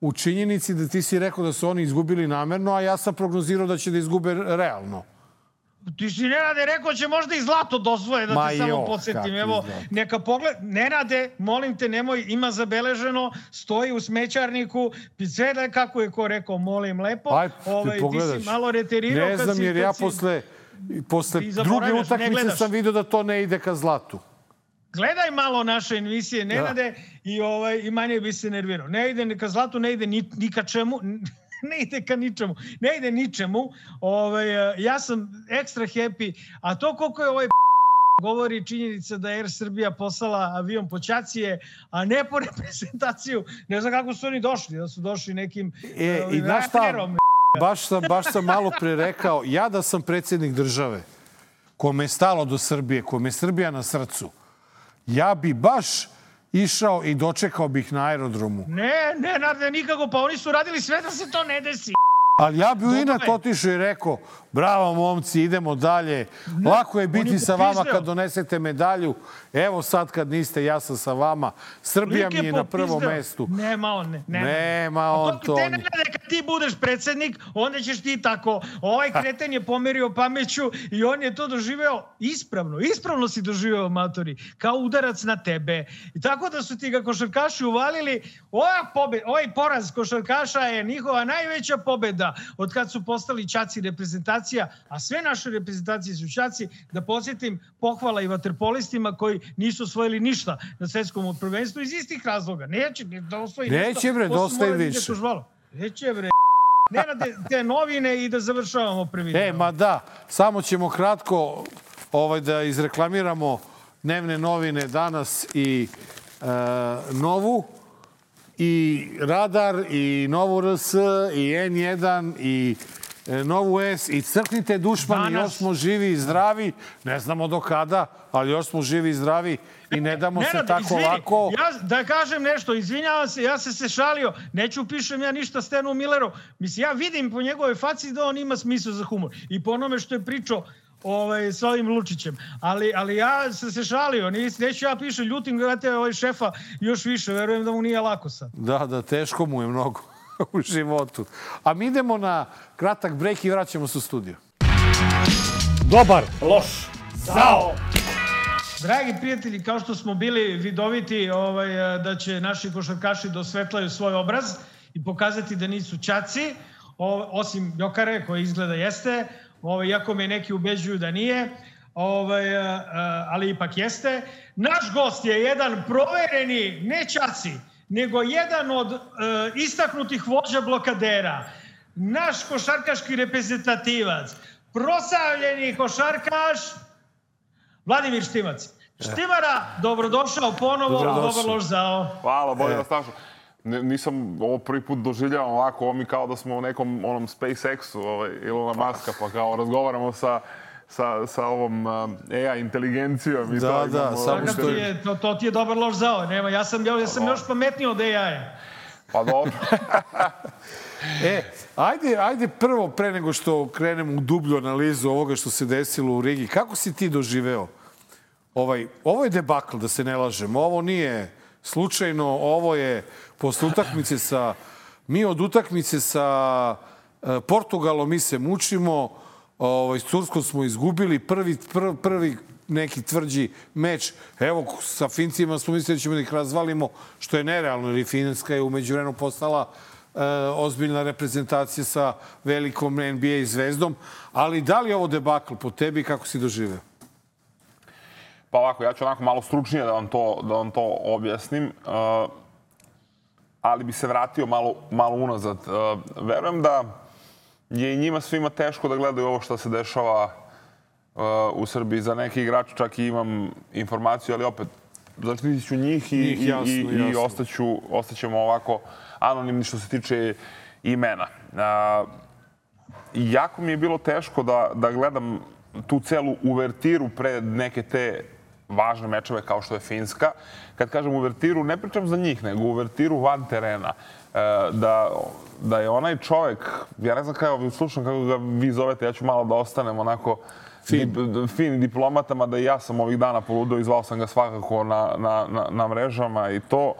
u činjenici da ti si rekao da su oni izgubili namerno, a ja sam prognozirao da će da izgube realno. Ti si, Nenade, rekao će možda i zlato dosvoje, da Ma te jo, samo podsjetim. Evo, neka pogled... Nenade, molim te, nemoj, ima zabeleženo, stoji u smećarniku, sve kako je ko rekao, molim lepo. Aj, ovaj, ti si malo reterirao. Ne znam, jer ja si... posle, posle druge utakmice sam vidio da to ne ide ka zlatu. Gledaj malo naše emisije, Nenade, da. i, ovaj, i manje bi se nervirao. Ne ide ka zlatu, ne ide ni, ni ka čemu... ne ide ka ničemu, ne ide ničemu. Ovaj, ja sam ekstra happy, a to koliko je ovaj govori činjenica da je Air Srbija poslala avion po Čacije, a ne po reprezentaciju. Ne znam kako su oni došli, da su došli nekim e, i znaš šta, baš sam, baš sam malo pre rekao, ja da sam predsjednik države, kome je stalo do Srbije, kome je Srbija na srcu, ja bi baš išao i dočekao bih na aerodromu. Ne, ne, ne, nikako. Pa oni su radili sve da se to ne desi. Ali ja bi u inat otišao i rekao, bravo momci, idemo dalje. Ne, lako je biti sa vama kad donesete medalju. Evo sad kad niste, ja sam sa vama. Srbija mi je na prvom mestu. Nema on, ne. ne. Nema on to. Te ne, kad ti budeš predsjednik, onda ćeš ti tako. Ovaj kreten je pomerio pameću i on je to doživeo ispravno. Ispravno si doživeo, matori. Kao udarac na tebe. I tako da su ti ga košarkaši uvalili. Ova pobjeda, ovaj poraz košarkaša je njihova najveća pobjeda od kad su postali Čaci reprezentacija, a sve naše reprezentacije su Čaci. Da podsjetim, pohvala i vaterpolistima koji nisu osvojili ništa na svetskom prvenstvu iz istih razloga. Neće da osvoji ništa. Neće bre, dosta je više. Neće bre. Ne na te novine i da završavamo prvi. E, ma da, samo ćemo kratko ovaj, da izreklamiramo dnevne novine Danas i e, Novu. I Radar, i Novu R S, i N jedan, i Novu S, i crknite dušmani, još smo živi i zdravi, ne znamo do kada, ali još smo živi i zdravi i ne damo se tako izvini, lako. Ja da kažem nešto, izvinjavam se, ja se se šalio, neću pišem ja ništa Stenu Milleru, mislim, ja vidim po njegove faci da on ima smisla za humor i po onome što je pričao ovaj, s ovim Lučićem. Ali, ali ja sam se šalio, nis, neću ja pišem, ljutim gledate ovaj šefa još više, verujem da mu nije lako sad. Da, da, teško mu je mnogo u životu. A mi idemo na kratak brejk i vraćamo se u studio. Dobar, loš, zao. Dragi prijatelji, kao što smo bili vidoviti ovaj, da će naši košarkaši da osvetlaju svoj obraz i pokazati da nisu ćaci, osim Jokare koji izgleda jeste, ovaj, iako me neki ubeđuju da nije, ovaj, ali ipak jeste. Naš gost je jedan provereni, ne ćaci, nego jedan od uh, istaknutih vođa blokadera, naš košarkaški reprezentativac, proslavljeni košarkaš Vladimir Štimac. Štimara, dobrodošao ponovo, dobar loš zao. Hvala, bolje da snašao. Nisam ovo prvi put doživljavao ovako, ovo mi kao da smo u nekom onom SpaceX-u, ovaj, Ilona Muska, pa kao razgovaramo sa sa, sa ovom A I inteligencijom. I da, to da, imamo, samo što je... To, to ti je dobar loš zao. Nema, ja sam, ja sam još pametniji od A I-a. Pa dobro. E, ajde, ajde prvo, pre nego što krenemo u dublju analizu ovoga što se desilo u Rigi, kako si ti doživeo? Ovaj, ovo je debakl, da se ne lažemo. Ovo nije slučajno, ovo je posle utakmice sa... Mi od utakmice sa Portugalom mi se mučimo, ovaj, s Turskom smo izgubili prvi, prvi, prvi neki tvrđi meč. Evo, sa Fincima smo mislili da ćemo da ih razvalimo, što je nerealno, jer Finska je umeđu vremenu postala e, ozbiljna reprezentacija sa velikom N B A zvezdom. Ali da li je ovo debakl po tebi, kako si doživeo? Pa ovako, ja ću onako malo stručnije da vam to, da vam to objasnim. Uh, ali bi se vratio malo, malo unazad. Uh, verujem da je i njima svima teško da gledaju ovo što se dešava uh, u Srbiji. Za neki igrač čak i imam informaciju, ali opet zaštitit ću njih i, njih jasno, i, i, i ostaću, ostaćemo ovako anonimni što se tiče imena. Uh, jako mi je bilo teško da, da gledam tu celu uvertiru pre neke te važne mečeve kao što je Finska. Kad kažem uvertiru, ne pričam za njih, nego uvertiru van terena. E, da, da je onaj čovek, ja ne znam kako, slušam kako ga vi zovete, ja ću malo da ostanem onako fin, dip, fin diplomatama, da i ja sam ovih dana poludeo i zvao sam ga svakako na, na, na, na mrežama i to.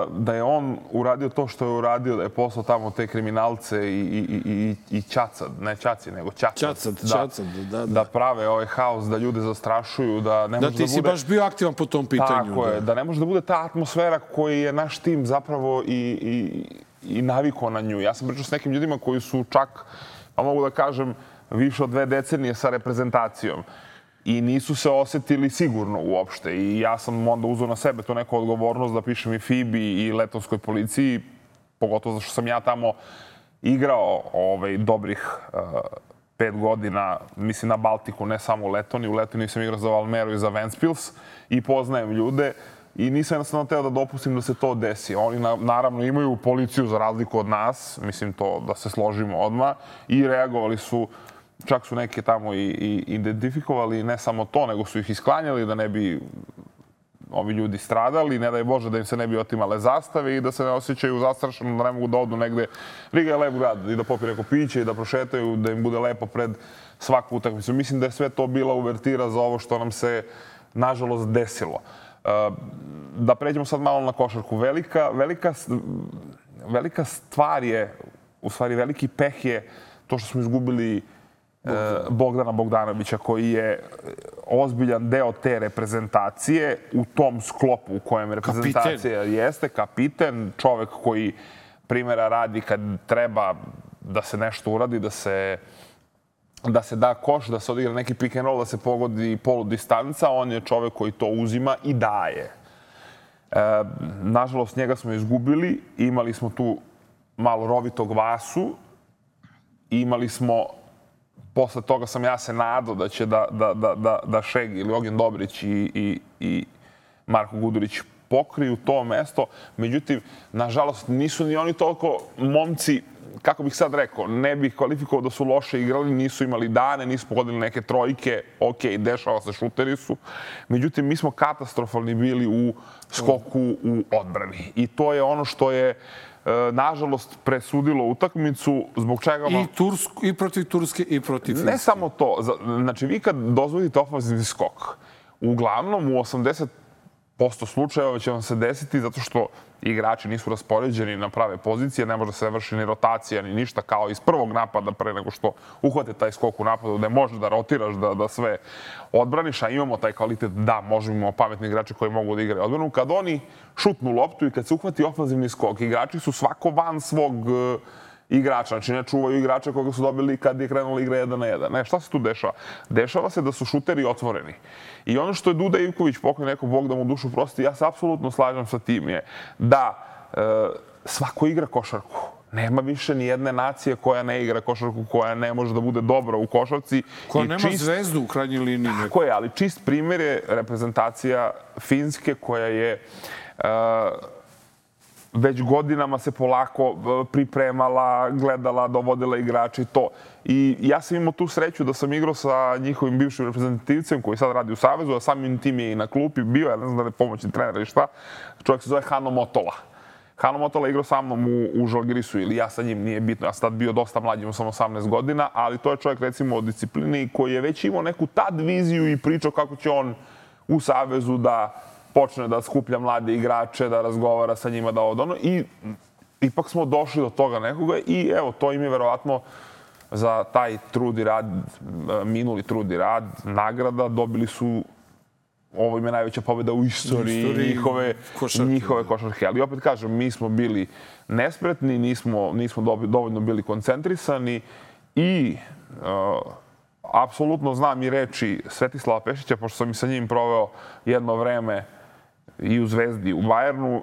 Da je on uradio to što je uradio, da je poslao tamo te kriminalce i, i, i, i ćacad, ne ćaci, nego ćacad. Ćacad, da, ćacad, da, da. Da prave ovaj haos, da ljude zastrašuju, da ne da može ti da si bude... baš bio aktivan po tom pitanju. Tako je, da ne može da bude ta atmosfera koju je naš tim zapravo i, i, i navikao na nju. Ja sam pričao s nekim ljudima koji su čak, a mogu da kažem, više od dve decenije sa reprezentacijom. I nisu se osetili sigurno uopšte. I ja sam onda uzeo na sebe tu neku odgovornost da pišem i F I B I i Letonskoj policiji, pogotovo zato što sam ja tamo igrao ovaj, dobrih uh, pet godina, mislim na Baltiku, ne samo u Letoniji. U Letoniji sam igrao za Valmeru i za Ventspils i poznajem ljude. I nisam jednostavno teo da dopustim da se to desi. Oni na, naravno imaju policiju za razliku od nas, mislim to da se složimo odmah, i reagovali su. Čak su neke tamo i, i identifikovali, ne samo to, nego su ih isklanjali da ne bi ovi ljudi stradali, ne daj Bože da im se ne bi otimale zastave i da se ne osjećaju zastrašeno, da ne mogu da odu negde. Riga je lep grad i da popiju neko piće i da prošetaju, da im bude lepo pred svaku utakmicu. Mislim da je sve to bila uvertira za ovo što nam se, nažalost, desilo. Da pređemo sad malo na košarku. Velika, velika, velika stvar je, u stvari veliki peh je to što smo izgubili Bogdana Bogdanovića, koji je ozbiljan deo te reprezentacije u tom sklopu u kojem reprezentacija kapiten. Jeste. Kapiten, čovek koji primjera radi kad treba da se nešto uradi, da se, da se da koš, da se odigra neki pick and roll, da se pogodi polu distanca. On je čovek koji to uzima i daje. E, nažalost, njega smo izgubili. Imali smo tu malo rovitog Vasu. Imali smo... Posle toga sam ja se nadao da će da, da, da, da, da Šegi ili Ognjen Dobrić i, i, i Marko Gudurić pokriju to mesto. Međutim, nažalost, nisu ni oni toliko momci kako bih sad rekao, ne bih kvalifikovao da su loše igrali, nisu imali dane, nisu pogodili neke trojke, ok, dešava se, šuteri su. Međutim, mi smo katastrofalni bili u skoku u odbrani. I to je ono što je nažalost presudilo utakmicu, zbog čega... I, Tursku, i protiv Turske i protiv Finske. Ne samo to. Znači, vi kad dozvolite ofanzivni skok, uglavnom u osamdeset posto slučajeva će vam se desiti zato što igrači nisu raspoređeni na prave pozicije, ne može se vrši ni rotacija ni ništa kao iz prvog napada pre nego što uhvate taj skok u napadu gde možeš da rotiraš, da, da sve odbraniš, a imamo taj kvalitet da možemo, imamo pametni igrači koji mogu da igraju odbranu. Kad oni šutnu loptu i kad se uhvati ofanzivni skok, igrači su svako van svog uh, igrača, znači ne čuvaju igrača koga su dobili kad je krenula igra jedan na jedan. Ne, šta se tu dešava? Dešava se da su šuteri otvoreni. I ono što je Duda Ivković, pokoj neko Bog da mu dušu prosti, ja se apsolutno slažem sa tim, je da e, svako igra košarku. Nema više ni jedne nacije koja ne igra košarku, koja ne može da bude dobra u košarci. Koja nema čist... zvezdu u krajnjoj liniji. Tako je, ali čist primjer je reprezentacija Finske koja je... E, već godinama se polako pripremala, gledala, dovodila igrače i to. I ja sam imao tu sreću da sam igrao sa njihovim bivšim reprezentativcem koji sad radi u Savezu, a samim tim je i na klupi bio, ja ne znam da li je pomoćni trener ili šta. Čovjek se zove Hano Motola. Hano Motola je igrao sa mnom u, u Žalgirisu ili ja sa njim, nije bitno. Ja sam tad bio dosta mlađi, imao sam osamnaest godina, ali to je čovjek recimo od disciplini koji je već imao neku tad viziju i pričao kako će on u Savezu da počne da skuplja mlade igrače, da razgovara sa njima, da ovo i ipak smo došli do toga nekoga i evo, to im je verovatno za taj trud i rad, minuli trud i rad, nagrada, dobili su, ovo im je najveća pobjeda u istoriji, istoriji njihove, košarke. njihove košarke. Ali opet kažem, mi smo bili nespretni, nismo, nismo dovoljno bili koncentrisani i uh, apsolutno znam i reči Svetislava Pešića, pošto sam i sa njim proveo jedno vreme i u Zvezdi, i u Bayernu.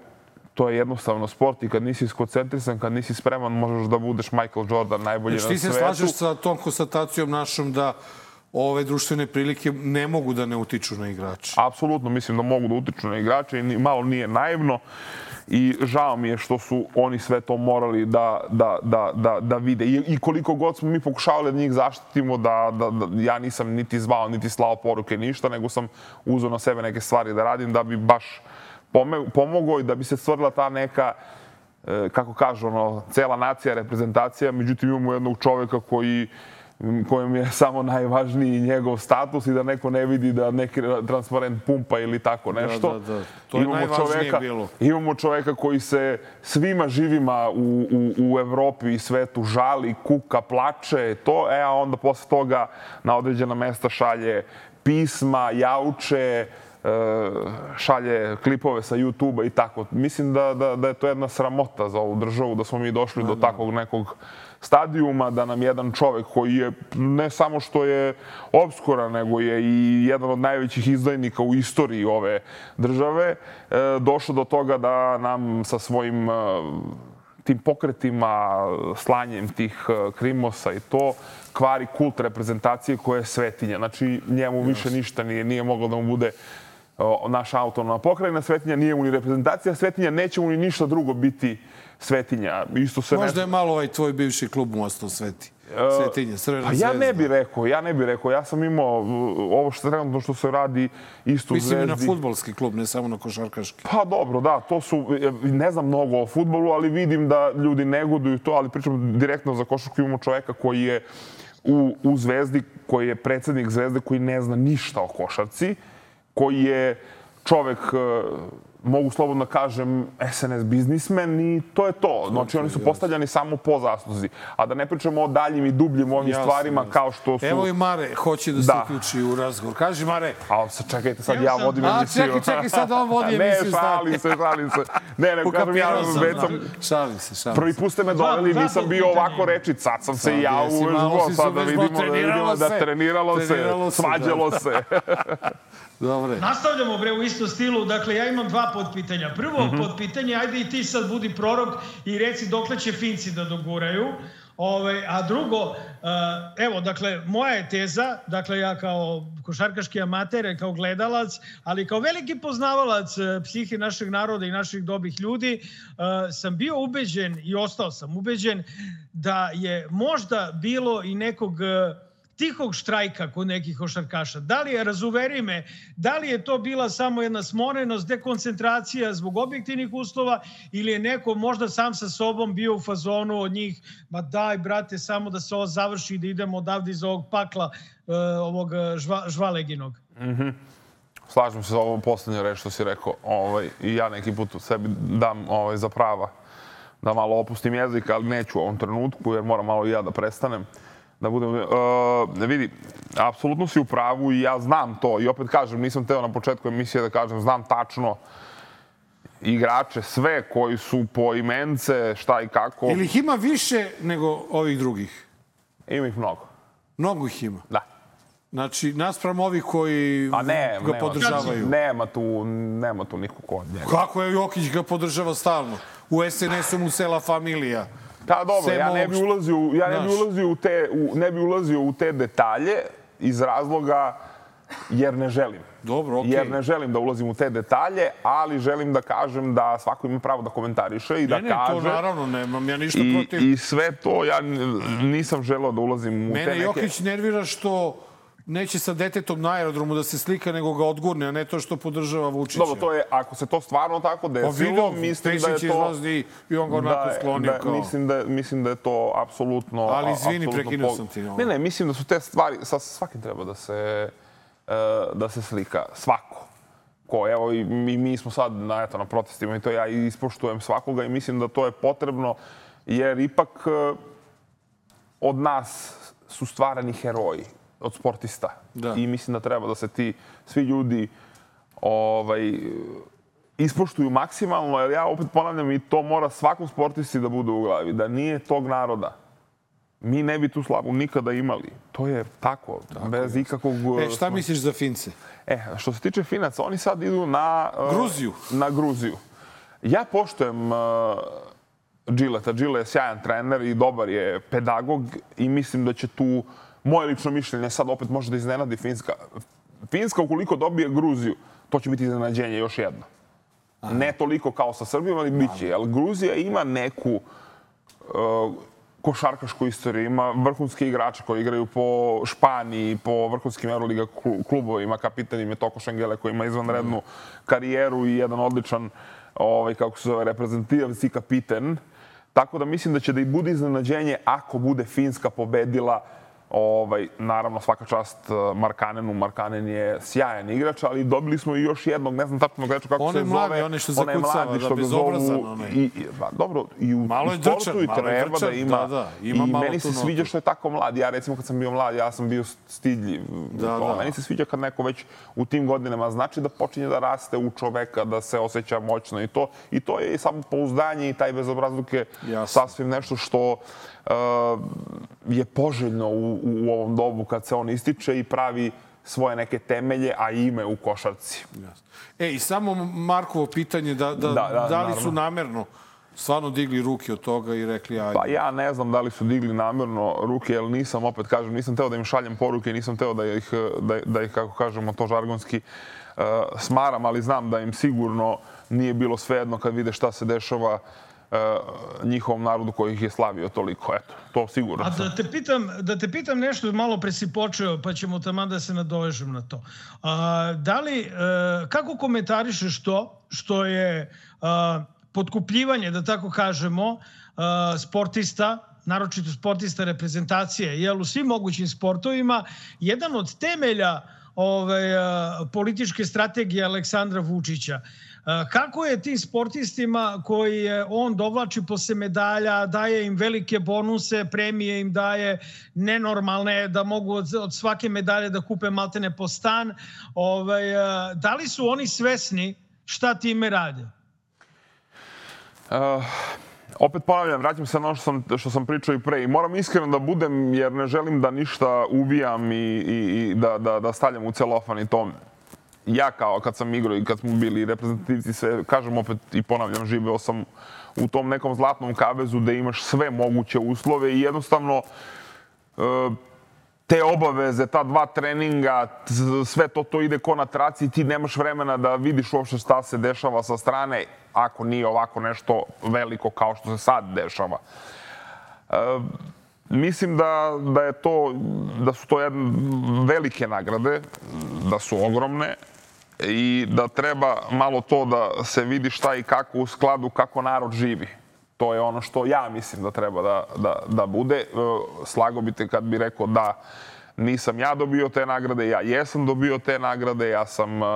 To je jednostavno sport i kad nisi skoncentrisan, kad nisi spreman, možeš da budeš Michael Jordan najbolji na svetu. Ti se slažeš sa tom konstatacijom našom da ove društvene prilike ne mogu da ne utiču na igrače? Apsolutno, mislim da mogu da utiču na igrače i malo nije naivno. I žao mi je što su oni sve to morali da, da, da, da, da vide. I, I koliko god smo mi pokušavali da njih zaštitimo, da, da, da ja nisam niti zvao, niti slao poruke, ništa, nego sam uzeo na sebe neke stvari da radim da bi baš pomogao i da bi se stvorila ta neka, kako kažu, ono, cela nacija, reprezentacija. Međutim, imamo jednog čoveka koji kojem je samo najvažniji njegov status i da neko ne vidi da neki transparent pumpa ili tako nešto. Da, da, da. To je imamo najvažnije čoveka, bilo. Imamo čoveka koji se svima živima u, u, u Evropi i svetu žali, kuka, plače, to, e, a onda posle toga na određena mesta šalje pisma, jauče, šalje klipove sa YouTube-a i tako. Mislim da, da, da je to jedna sramota za ovu državu, da smo mi došli do takvog nekog stadijuma, da nam jedan čovek koji je ne samo što je obskuran, nego je i jedan od najvećih izdajnika u istoriji ove države, došao do toga da nam sa svojim tim pokretima, slanjem tih krimosa i to, kvari kult reprezentacije koja je svetinja. Znači, njemu više ništa nije, nije moglo da mu bude naša autonomna pokrajina svetinja, nije mu ni reprezentacija svetinja, neće mu ni ništa drugo biti svetinja. Isto se Možda ne... je malo ovaj tvoj bivši klub mu ostao sveti. Svetinja, Crvena pa zvezda. Ja ne bih rekao, ja ne bih rekao. Ja sam imao ovo što trenutno što se radi isto u Zvezdi. Mislim i na fudbalski klub, ne samo na košarkaški. Pa dobro, da, to su, ne znam mnogo o fudbalu, ali vidim da ljudi negoduju to, ali pričam direktno za košarku. Imamo čoveka koji je u, u Zvezdi, koji je predsjednik Zvezde, koji ne zna ništa o košarci, koji je čovek, mogu slobodno kažem, es en es biznismen i to je to. Znači, oni su postavljani samo po zasluzi. A da ne pričamo o daljim i dubljim ovim jasne, stvarima jasne. Kao što su... Evo i Mare hoće da se da. uključi u razgovor. Kaži, Mare. A čekajte, sad ja vodim a, emisiju. A čekaj, čekaj, sad on vodi emisiju. Ne, šalim se, šalim se. Ne, ne, kažem, ja već sam... Šalim se, šalim se. Prvi put ste me doveli, nisam bio ovako rečit. Sad sam se i ja uvežbo, sad da vidimo da treniralo se, svađalo se. Dobre. Nastavljamo bre u istom stilu. Dakle, ja imam dva podpitanja. Prvo mm-hmm. podpitanje, ajde i ti sad budi prorok i reci dokle će Finci da doguraju. Ove, a drugo, evo, dakle, moja je teza, dakle, ja kao košarkaški amater, kao gledalac, ali kao veliki poznavalac psihe našeg naroda i naših dobrih ljudi, sam bio ubeđen i ostao sam ubeđen da je možda bilo i nekog tihog štrajka kod nekih košarkaša. Da li je, razuveri me, da li je to bila samo jedna smorenost, dekoncentracija zbog objektivnih uslova ili je neko možda sam sa sobom bio u fazonu od njih, ma daj brate, samo da se ovo završi, da idemo odavde iz ovog pakla ovog žva, žvaleginog. Mm-hmm. Slažem se za ovo poslednje reč što si rekao. Ovaj, I ja neki put u sebi dam ovaj, za prava da malo opustim jezik, ali neću u ovom trenutku jer moram malo i ja da prestanem. Da budem, uh, vidi, apsolutno si u pravu i ja znam to. I opet kažem, nisam teo na početku emisije da kažem, znam tačno igrače, sve koji su po imence, šta i kako. Ili ih ima više nego ovih drugih? Ima ih mnogo. Mnogo ih ima? Da. Znači, naspram ovih koji A ne, ga nema, podržavaju? Nema tu, nema tu niko kod njega. Kako je Jokić ga podržava stalno? U es en esu mu cela familija. Da, dobro, ja ne bi ulazio, ja ne bi ulazio u te, u, ne bi ulazio u te detalje iz razloga jer ne želim. Dobro, okej. Jer ne želim da ulazim u te detalje, ali želim da kažem da svako ima pravo da komentariše i da ne, ne, kaže... Ne, ne, to naravno nemam, ja ništa i, protiv. I sve to, ja nisam želeo da ulazim u Mene te neke... Jokić nervira što neće sa detetom na aerodromu da se slika, nego ga odgurne, a ne to što podržava Vučića. Dobro, to je, ako se to stvarno tako desilo, video, mislim da je to... izlazi i on ga onako da, sklonio da, kao... Mislim da, mislim da je to apsolutno... Ali izvini, apsolutno prekinuo pog... sam ti. No. Ne, ne, mislim da su te stvari... Sa svakim treba da se, uh, da se slika. Svako. Ko, evo, i mi, mi smo sad na, eto, na protestima i to ja ispoštujem svakoga i mislim da to je potrebno, jer ipak uh, od nas su stvarani heroji. Od sportista. Da. I mislim da treba da se ti svi ljudi ovaj, ispoštuju maksimalno, jer ja opet ponavljam i to mora svakom sportisti da bude u glavi. Da nije tog naroda, mi ne bi tu slavu nikada imali. To je tako, tako bez je. ikakvog... E, šta misliš za Fince? E, što se tiče Finaca, oni sad idu na... Gruziju. Uh, na Gruziju. Ja poštujem... Uh, Džileta. Džile je sjajan trener i dobar je pedagog i mislim da će tu... Moje lično mišljenje sad opet može da iznenadi Finska. Finska ukoliko dobije Gruziju, to će biti iznenađenje još jedno. Aha. Ne toliko kao sa Srbijom, ali bit će. Ali Gruzija ima neku uh, košarkašku istoriju. Ima vrhunske igrače koji igraju po Španiji, po vrhunskim Euroliga klubovima. Kapitan im je Toko Šengele koji ima izvanrednu karijeru i jedan odličan, ovaj, kako se zove, reprezentativni kapiten. Tako da mislim da će da i bude iznenađenje ako bude Finska pobedila. Ovaj, naravno, svaka čast Markanenu. Markanen je sjajan igrač, ali dobili smo i još jednog, ne znam tačno igrača kako on se zove. Mladi, on je što zakucava, da, bezobrazan. I, i, ba, dobro, i u, malo u sportu drčan, i treba drčan, da ima. Da, da, ima I malo meni se sviđa što je tako mlad. Ja recimo kad sam bio mlad, ja sam bio stidljiv. Da, da. Meni se sviđa kad neko već u tim godinama znači da počinje da raste u čoveka, da se osjeća moćno i to. I to je samo pouzdanje i taj bezobrazluk je sasvim nešto što uh, je poželjno u, u ovom dobu kad se on ističe i pravi svoje neke temelje, a ime u košarci. E, i samo Markovo pitanje, da, da, da, da, da li naravno. su namerno stvarno digli ruke od toga i rekli ajde? Pa ja ne znam da li su digli namerno ruke, jer nisam, opet kažem, nisam teo da im šaljem poruke, nisam teo da ih, da, da ih kako kažemo, to žargonski uh, smaram, ali znam da im sigurno nije bilo svejedno kad vide šta se dešava Uh, njihovom narodu koji ih je slavio toliko. Eto, to sigurno. A da te pitam, da te pitam nešto, malo pre si počeo, pa ćemo tamo da se nadovežem na to. A, da li, uh, kako komentarišeš to što je uh, potkupljivanje, da tako kažemo, uh, sportista, naročito sportista reprezentacije, jel, u svim mogućim sportovima, jedan od temelja ove, uh, političke strategije Aleksandra Vučića. Kako je tim sportistima koji on dovlači posle medalja, daje im velike bonuse, premije im daje nenormalne, da mogu od svake medalje da kupe maltene po stan. Ovaj, da li su oni svesni šta time rade? Uh, opet ponavljam, vraćam se na ono što sam, što sam pričao i pre. I moram iskreno da budem, jer ne želim da ništa ubijam i, i, i da, da, da stavljam u celofan i to. ja kao kad sam igrao i kad smo bili reprezentativci, sve, kažem opet i ponavljam, živeo sam u tom nekom zlatnom kavezu da imaš sve moguće uslove i jednostavno te obaveze, ta dva treninga, sve to to ide ko na traci i ti nemaš vremena da vidiš uopšte šta se dešava sa strane ako nije ovako nešto veliko kao što se sad dešava. Mislim da, da, je to, da su to jedne velike nagrade, da su ogromne i da treba malo to da se vidi šta i kako u skladu kako narod živi. To je ono što ja mislim da treba da, da, da bude. Slago bi te kad bi rekao da nisam ja dobio te nagrade, ja jesam dobio te nagrade, ja sam uh,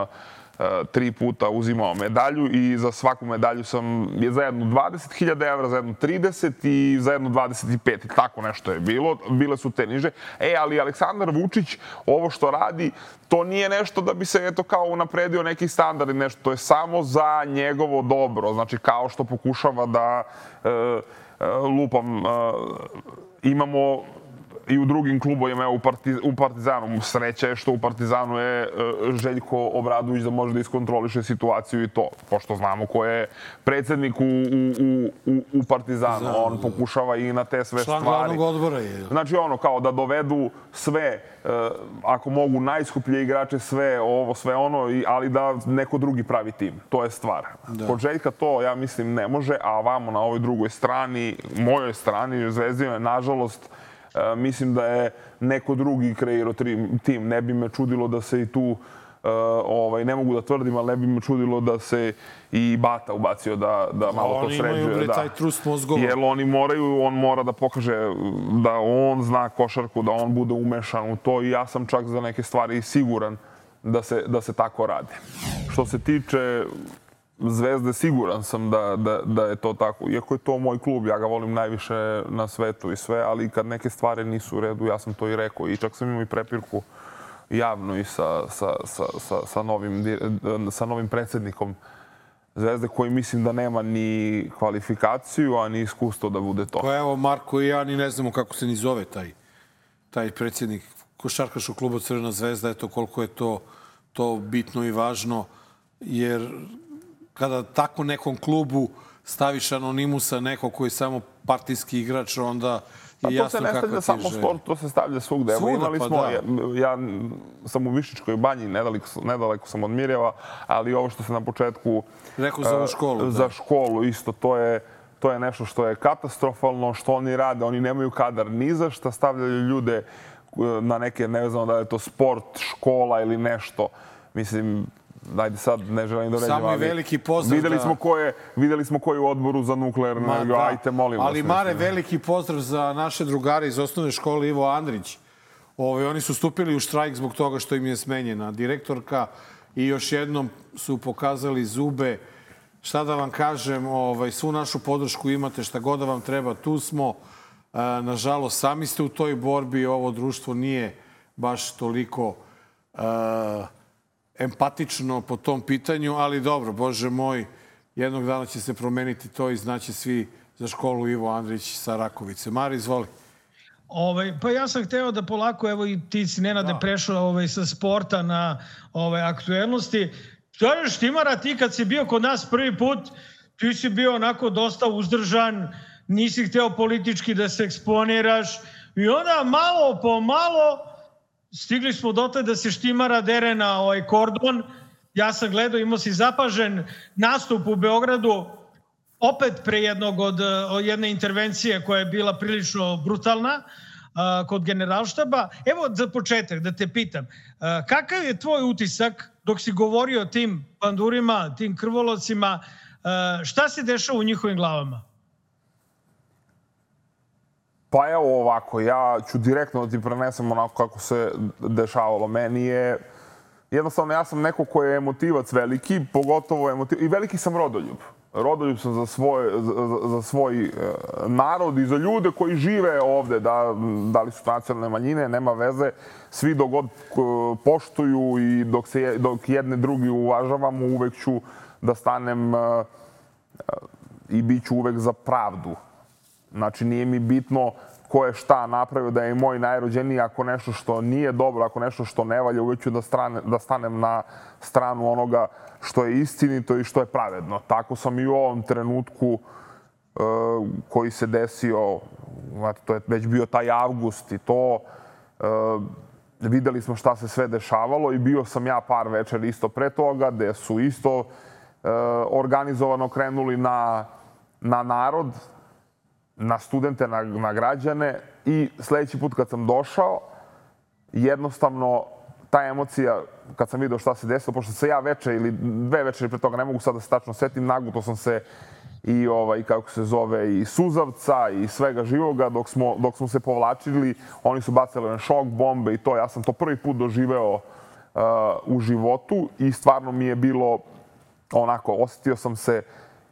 tri puta uzimao medalju i za svaku medalju sam je za jednu dvadeset hiljada evra, za jednu trideset i za jednu dvadeset pet. I tako nešto je bilo. Bile su te niže. E, ali Aleksandar Vučić, ovo što radi, to nije nešto da bi se eto kao unapredio neki standard i nešto. To je samo za njegovo dobro. Znači, kao što pokušava da e, e, lupam, e, imamo i u drugim klubovima, evo u, partiz, u Partizanu. Sreća je što u Partizanu je Željko Obradović da može da iskontroliše situaciju i to. Pošto znamo ko je predsjednik u, u, u, u Partizanu. On pokušava i na te sve stvari. Član glavnog odbora je. Znači ono, kao da dovedu sve, ako mogu, najskuplje igrače, sve ovo, sve ono, ali da neko drugi pravi tim. To je stvar. Da. Kod Željka to, ja mislim, ne može, a vamo na ovoj drugoj strani, mojoj strani, Zvezdina, nažalost, Uh, mislim da je neko drugi kreirao tim. Ne bi me čudilo da se i tu, uh, ovaj, ne mogu da tvrdim, ali ne bi me čudilo da se i Bata ubacio da, da malo to sređuje. Oni imaju taj trust mozgova. Jer oni moraju, on mora da pokaže da on zna košarku, da on bude umešan u to i ja sam čak za neke stvari siguran da se, da se tako radi. Što se tiče Zvezde, siguran sam da, da, da je to tako. Iako je to moj klub, ja ga volim najviše na svetu i sve, ali kad neke stvari nisu u redu, ja sam to i rekao. I čak sam imao i prepirku javno i sa, sa, sa, sa, sa, novim, sa novim predsjednikom Zvezde, koji mislim da nema ni kvalifikaciju, a ni iskustvo da bude to. Pa evo, Marko i ja ni ne znamo kako se ni zove taj, taj predsjednik košarkaškog kluba Crvena Zvezda. Eto koliko je to, to bitno i važno, jer kada tako nekom klubu staviš anonimusa, neko koji je samo partijski igrač, onda je jasno kakva ti je želja. To se ne stavlja samo sport, to se stavlja svugde. Evo, imali smo, ja, ja sam u Višnjičkoj banji, nedaleko, nedaleko sam od Mirjeva, ali ovo što se na početku... Rekao za ovu školu. Za školu isto, to je, to je nešto što je katastrofalno, što oni rade. Oni nemaju kadar ni za šta, stavljaju ljude na neke, ne znam da je to sport, škola ili nešto. Mislim... Ajde sad, ne želim da ređem, ali veliki pozdrav videli smo ko je, videli smo ko je u odboru za nuklearnu energiju, ajte, molim vas. Ali Mare, veliki pozdrav za naše drugare iz osnovne škole Ivo Andrić. Ove, oni su stupili u štrajk zbog toga što im je smenjena direktorka i još jednom su pokazali zube. Šta da vam kažem, ovaj, svu našu podršku imate, šta god da vam treba, tu smo. E, nažalost, sami ste u toj borbi, ovo društvo nije baš toliko... E, empatično po tom pitanju, ali dobro, Bože moj, jednog dana će se promeniti to i znaće svi za školu Ivo Andrić sa Rakovice. Mari, izvoli. Ovaj, pa ja sam hteo da polako, evo i ti si Nenade da. prešao ovaj, sa sporta na ovaj, aktuelnosti. Kažeš, Timara, ti kad si bio kod nas prvi put, ti si bio onako dosta uzdržan, nisi hteo politički da se eksponiraš i onda malo po malo stigli smo dotle da se Štimara dere na ovaj kordon. Ja sam gledao, imao si zapažen nastup u Beogradu, opet pre jednog od, od jedne intervencije koja je bila prilično brutalna a, kod generalštaba. Evo za početak da te pitam, a, kakav je tvoj utisak dok si govorio o tim pandurima, tim krvolocima, a, šta se dešava u njihovim glavama? Pa evo ovako, ja ću direktno da ti prenesem onako kako se dešavalo. Meni je, jednostavno ja sam neko ko je emotivac veliki, pogotovo emotivac, i veliki sam rodoljub. Rodoljub sam za svoj, za, za svoj narod i za ljude koji žive ovde, da, da li su nacionalne manjine, nema veze. Svi dok god poštuju i dok, se, dok jedne drugi uvažavamo, uvek ću da stanem i bit ću uvek za pravdu. Znači, nije mi bitno ko je šta napravio, da je moj najrođeniji, ako nešto što nije dobro, ako nešto što ne valja, uvijek ću da, strane, da stanem na stranu onoga što je istinito i što je pravedno. Tako sam i u ovom trenutku uh, koji se desio, to je već bio taj avgust i to, uh, videli smo šta se sve dešavalo i bio sam ja par večer isto pre toga, gde su isto uh, organizovano krenuli na, na narod, na studente, na, na građane i sljedeći put kad sam došao, jednostavno ta emocija, kad sam vidio šta se desilo, pošto se ja veče ili dve večeri pre toga, ne mogu sad da se tačno setim, naguto sam se i, ovaj, kako se zove, i suzavca i svega živoga, dok smo, dok smo se povlačili, oni su bacili na šok bombe i to. Ja sam to prvi put doživeo uh, u životu i stvarno mi je bilo onako, osjetio sam se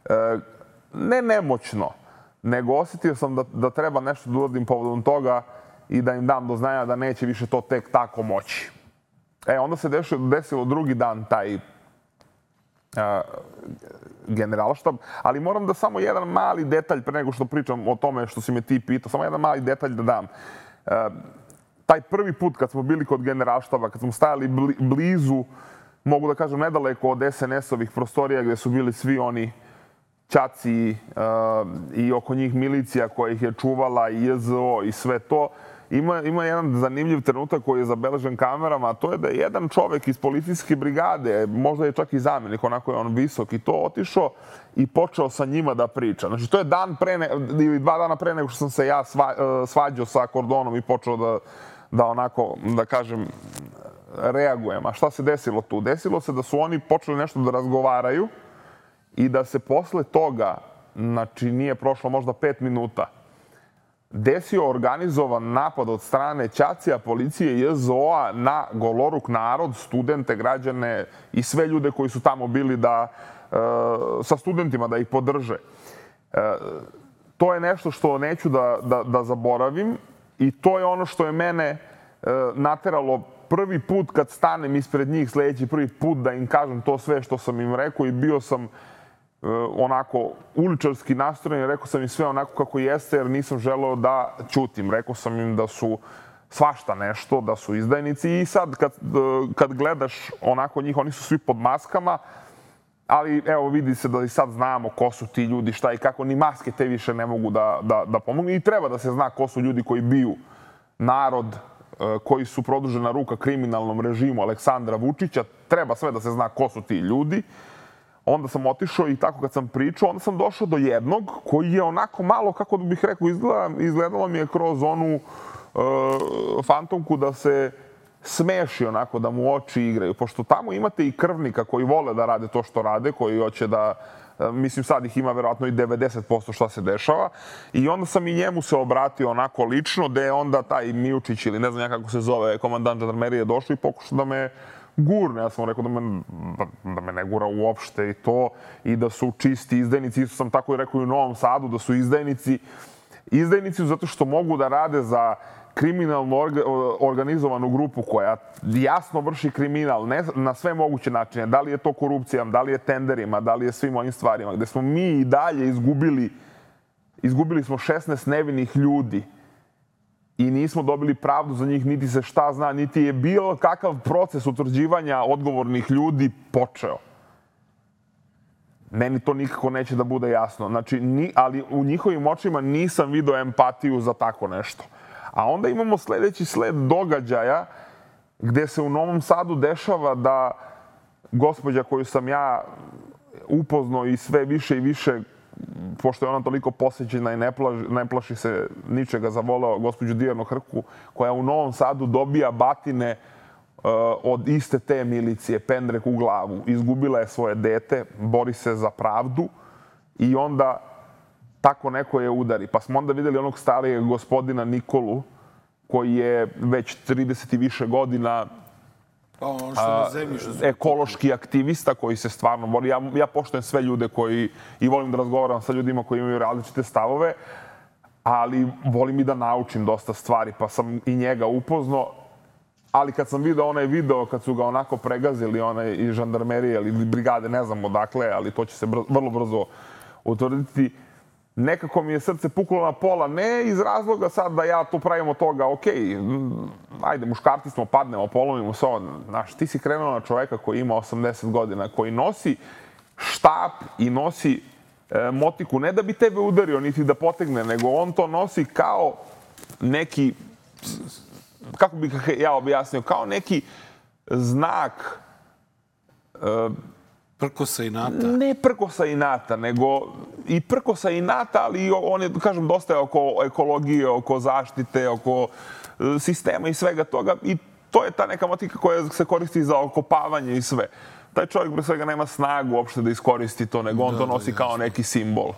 uh, ne nemoćno, nego osjetio sam da, da treba nešto da uradim povodom toga i da im dam do znanja da neće više to tek tako moći. E, onda se desilo, desilo drugi dan taj uh, generalštab, ali moram da samo jedan mali detalj, pre nego što pričam o tome što si me ti pitao, samo jedan mali detalj da dam. Uh, taj prvi put kad smo bili kod generalštaba, kad smo stajali bli, blizu, mogu da kažem nedaleko od es en es-ovih prostorija gde su bili svi oni ćaci uh, i oko njih milicija koja ih je čuvala i je ze o i sve to. Ima, ima jedan zanimljiv trenutak koji je zabeležen kamerama, a to je da je jedan čovek iz policijske brigade, možda je čak i zamjenik, onako je on visok i to, otišao i počeo sa njima da priča. Znači, to je dan pre ne, ili dva dana pre nego što sam se ja sva, svađao sa Kordonom i počeo da, da onako, da kažem, reagujem. A šta se desilo tu? Desilo se da su oni počeli nešto da razgovaraju i da se posle toga, znači nije prošlo možda pet minuta, desio organizovan napad od strane ćacija, policije i je ze o-a na goloruk narod, studente, građane i sve ljude koji su tamo bili da, e, sa studentima da ih podrže. E, to je nešto što neću da, da, da zaboravim i to je ono što je mene e, nateralo prvi put kad stanem ispred njih, sljedeći prvi put da im kažem to sve što sam im rekao i bio sam onako uličarski nastrojen, rekao sam im sve onako kako jeste jer nisam želeo da ćutim. Rekao sam im da su svašta nešto, da su izdajnici i sad kad, kad gledaš onako njih, oni su svi pod maskama, ali evo vidi se da i sad znamo ko su ti ljudi, šta i kako, ni maske te više ne mogu da, da, da pomognu i treba da se zna ko su ljudi koji biju narod, koji su produžena ruka kriminalnom režimu Aleksandra Vučića, treba sve da se zna ko su ti ljudi. Onda sam otišao i tako kad sam pričao, onda sam došao do jednog koji je onako malo, kako bih rekao, izgleda, izgledalo mi je kroz onu uh, fantomku da se smeši onako, da mu oči igraju. Pošto tamo imate i krvnika koji vole da rade to što rade, koji hoće da, uh, mislim sad ih ima verovatno i devedeset posto šta se dešava. I onda sam i njemu se obratio onako lično, gde je onda taj Mijučić ili ne znam ja kako se zove, komandant žandarmerije došao i pokušao da me gurne. Ja sam rekao da me, da me ne gura uopšte i to, i da su čisti izdajnici. Isto sam tako i rekao i u Novom Sadu, da su izdajnici. Izdajnici zato što mogu da rade za kriminalno orga, organizovanu grupu koja jasno vrši kriminal ne, na sve moguće načine. Da li je to korupcijom, da li je tenderima, da li je svim ovim stvarima. Gde smo mi i dalje izgubili, izgubili smo šesnaest nevinih ljudi. I nismo dobili pravdu za njih, niti se šta zna, niti je bilo kakav proces utvrđivanja odgovornih ljudi počeo. Meni to nikako neće da bude jasno. Znači, ni, ali u njihovim očima nisam video empatiju za tako nešto. A onda imamo sljedeći sled događaja gde se u Novom Sadu dešava da gospođa koju sam ja upoznao i sve više i više, pošto je ona toliko posjećena i ne, plaži, ne plaši se ničega, zavoleo gospođu Dijanu Hrku, koja u Novom Sadu dobija batine uh, od iste te milicije, pendrek u glavu. Izgubila je svoje dete, bori se za pravdu i onda tako neko je udari. Pa smo onda vidjeli onog starijeg gospodina Nikolu, koji je već trideset i više godina Pa ono što na zemlji, što su... ekološki aktivista koji se stvarno bori. Ja, ja poštujem sve ljude koji, i volim da razgovaram sa ljudima koji imaju različite stavove, ali volim i da naučim dosta stvari, pa sam i njega upoznao. Ali kad sam vidio onaj video, kad su ga onako pregazili, onaj iz žandarmerije ili brigade, ne znam odakle, ali to će se brzo, vrlo brzo utvrditi, nekako mi je srce puklo na pola, ne iz razloga sad da ja tu pravim od toga, ok, ajde, muškarci smo, padnemo, polomimo se ovo. Znaš, ti si krenuo na čoveka koji ima osamdeset godina, koji nosi štap i nosi e, motiku, ne da bi tebe udario, niti da potegne, nego on to nosi kao neki, kako bih ja objasnio, kao neki znak e, prkosa inata. Ne prkosa inata, nego i prkosa inata, ali on je, kažem, dosta je oko ekologije, oko zaštite, oko sistema i svega toga. I to je ta neka motika koja se koristi za okopavanje i sve. Taj čovjek pre svega nema snagu uopšte da iskoristi to, nego on to nosi kao neki simbol.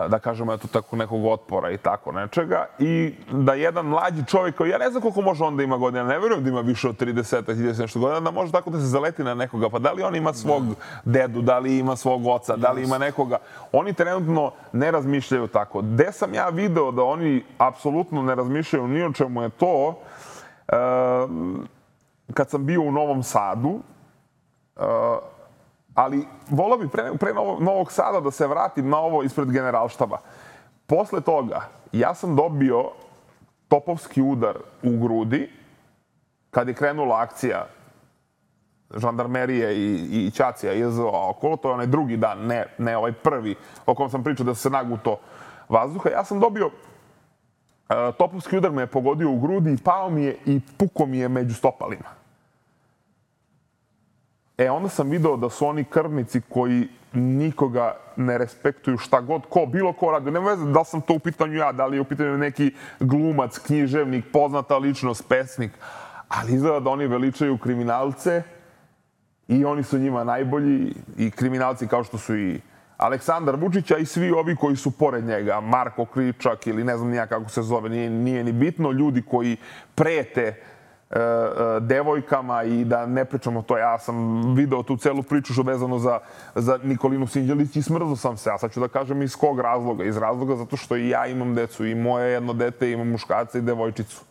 Da kažemo, eto, tako nekog otpora i tako nečega. I da jedan mlađi čovjek, koji ja ne znam koliko može onda ima godina, ne verujem da ima više od trideset, trideset nešto godina, da može tako da se zaleti na nekoga. Pa da li on ima svog dedu, da li ima svog oca, da li ima nekoga. Oni trenutno ne razmišljaju tako. Gde sam ja video da oni apsolutno ne razmišljaju ni o čemu je to, kad sam bio u Novom Sadu, ali volao bi pre, pre Novog Sada da se vratim na ovo ispred Generalštaba. Posle toga, ja sam dobio topovski udar u grudi kad je krenula akcija žandarmerije i, i Ćacija i J Z O okolo. To je onaj drugi dan, ne, ne ovaj prvi o kom sam pričao da se naguto vazduha. Ja sam dobio, uh, topovski udar me je pogodio u grudi i pao mi je i puko mi je među stopalima. E, onda sam video da su oni krvnici koji nikoga ne respektuju šta god, ko, bilo ko radi. Nema veze da li sam to u pitanju ja, da li je u pitanju neki glumac, književnik, poznata ličnost, pesnik. Ali izgleda da oni veličaju kriminalce i oni su njima najbolji i kriminalci kao što su i Aleksandar Vučić, a i svi ovi koji su pored njega, Marko Kričak ili ne znam nija kako se zove, nije, nije ni bitno, ljudi koji prete devojkama i da ne pričamo to. Ja sam video tu celu priču što vezano za, za Nikolinu Sinđelić i smrzao sam se. A sad ću da kažem iz kog razloga. Iz razloga zato što i ja imam decu i moje jedno dete, imam muškarca i devojčicu.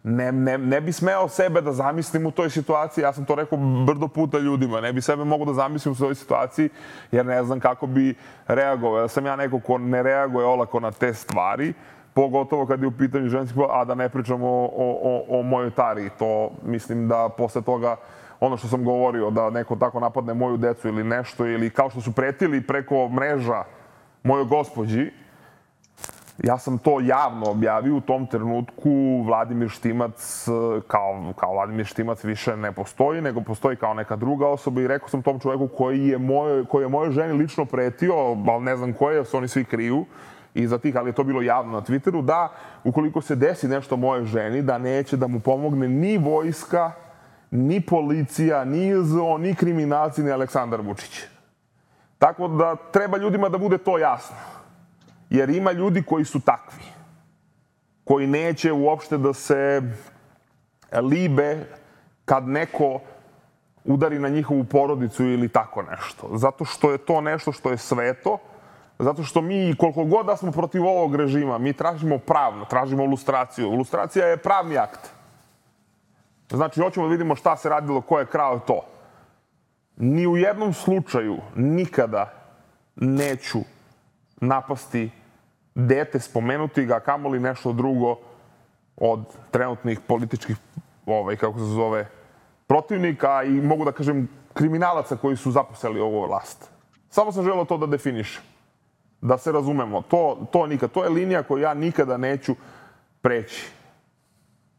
Ne, ne, ne bi smeo sebe da zamislim u toj situaciji. Ja sam to rekao brdo puta ljudima. Ne bi sebe mogu da zamislim u toj situaciji jer ne znam kako bi reagovao. Ja sam ja neko ko ne reaguje olako na te stvari. Pogotovo kad je u pitanju ženskih, a da ne pričamo o, o, o mojoj Tari. To mislim da posle toga, ono što sam govorio, da neko tako napadne moju decu ili nešto, ili kao što su pretili preko mreža mojoj gospođi, ja sam to javno objavio u tom trenutku. Vladimir Štimac, kao, kao Vladimir Štimac više ne postoji, nego postoji kao neka druga osoba i rekao sam tom čoveku koji je mojoj, koji je mojoj ženi lično pretio, ali ne znam koje, su oni svi kriju, iza tih, ali je to bilo javno na Twitteru, da ukoliko se desi nešto mojoj ženi, da neće da mu pomogne ni vojska, ni policija, ni J Z O, ni kriminalci, ni Aleksandar Vučić. Tako da treba ljudima da bude to jasno. Jer ima ljudi koji su takvi. Koji neće uopšte da se libe kad neko udari na njihovu porodicu ili tako nešto. Zato što je to nešto što je sveto. Zato što mi, koliko god da smo protiv ovog režima, mi tražimo pravno, tražimo lustraciju. Lustracija je pravni akt. Znači, hoćemo da vidimo šta se radilo, ko je krao to. Ni u jednom slučaju nikada neću napasti dete, spomenuti ga, kamoli nešto drugo od trenutnih političkih, ovaj, kako se zove, protivnika i mogu da kažem kriminalaca koji su zaposeli ovu vlast. Samo sam želeo to da definišem. Da se razumemo. To, to nikad. To je linija koju ja nikada neću preći.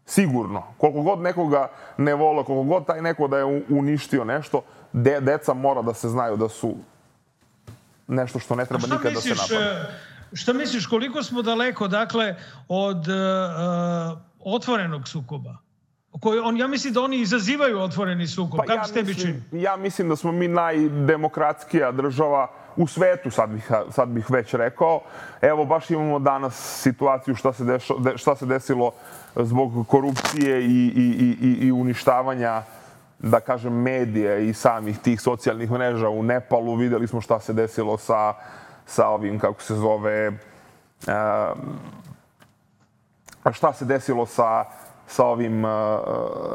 Sigurno. Koliko god nekoga ne vole, koliko god taj neko da je uništio nešto, de, deca mora da se znaju da su nešto što ne treba nikad misliš, da se napada. Šta misliš, koliko smo daleko, dakle, od uh, otvorenog sukoba? Koji on, ja mislim da oni izazivaju otvoreni sukob. Pa Kako ja se tebi mislim, čini? Ja mislim da smo mi najdemokratskija država u svetu, sad bih, sad bih već rekao. Evo, baš imamo danas situaciju šta se, dešo, šta se desilo zbog korupcije i, i, i, i uništavanja, da kažem, medija i samih tih socijalnih mreža u Nepalu. Videli smo šta se desilo sa, sa ovim, kako se zove, uh, šta se desilo sa sa ovim uh,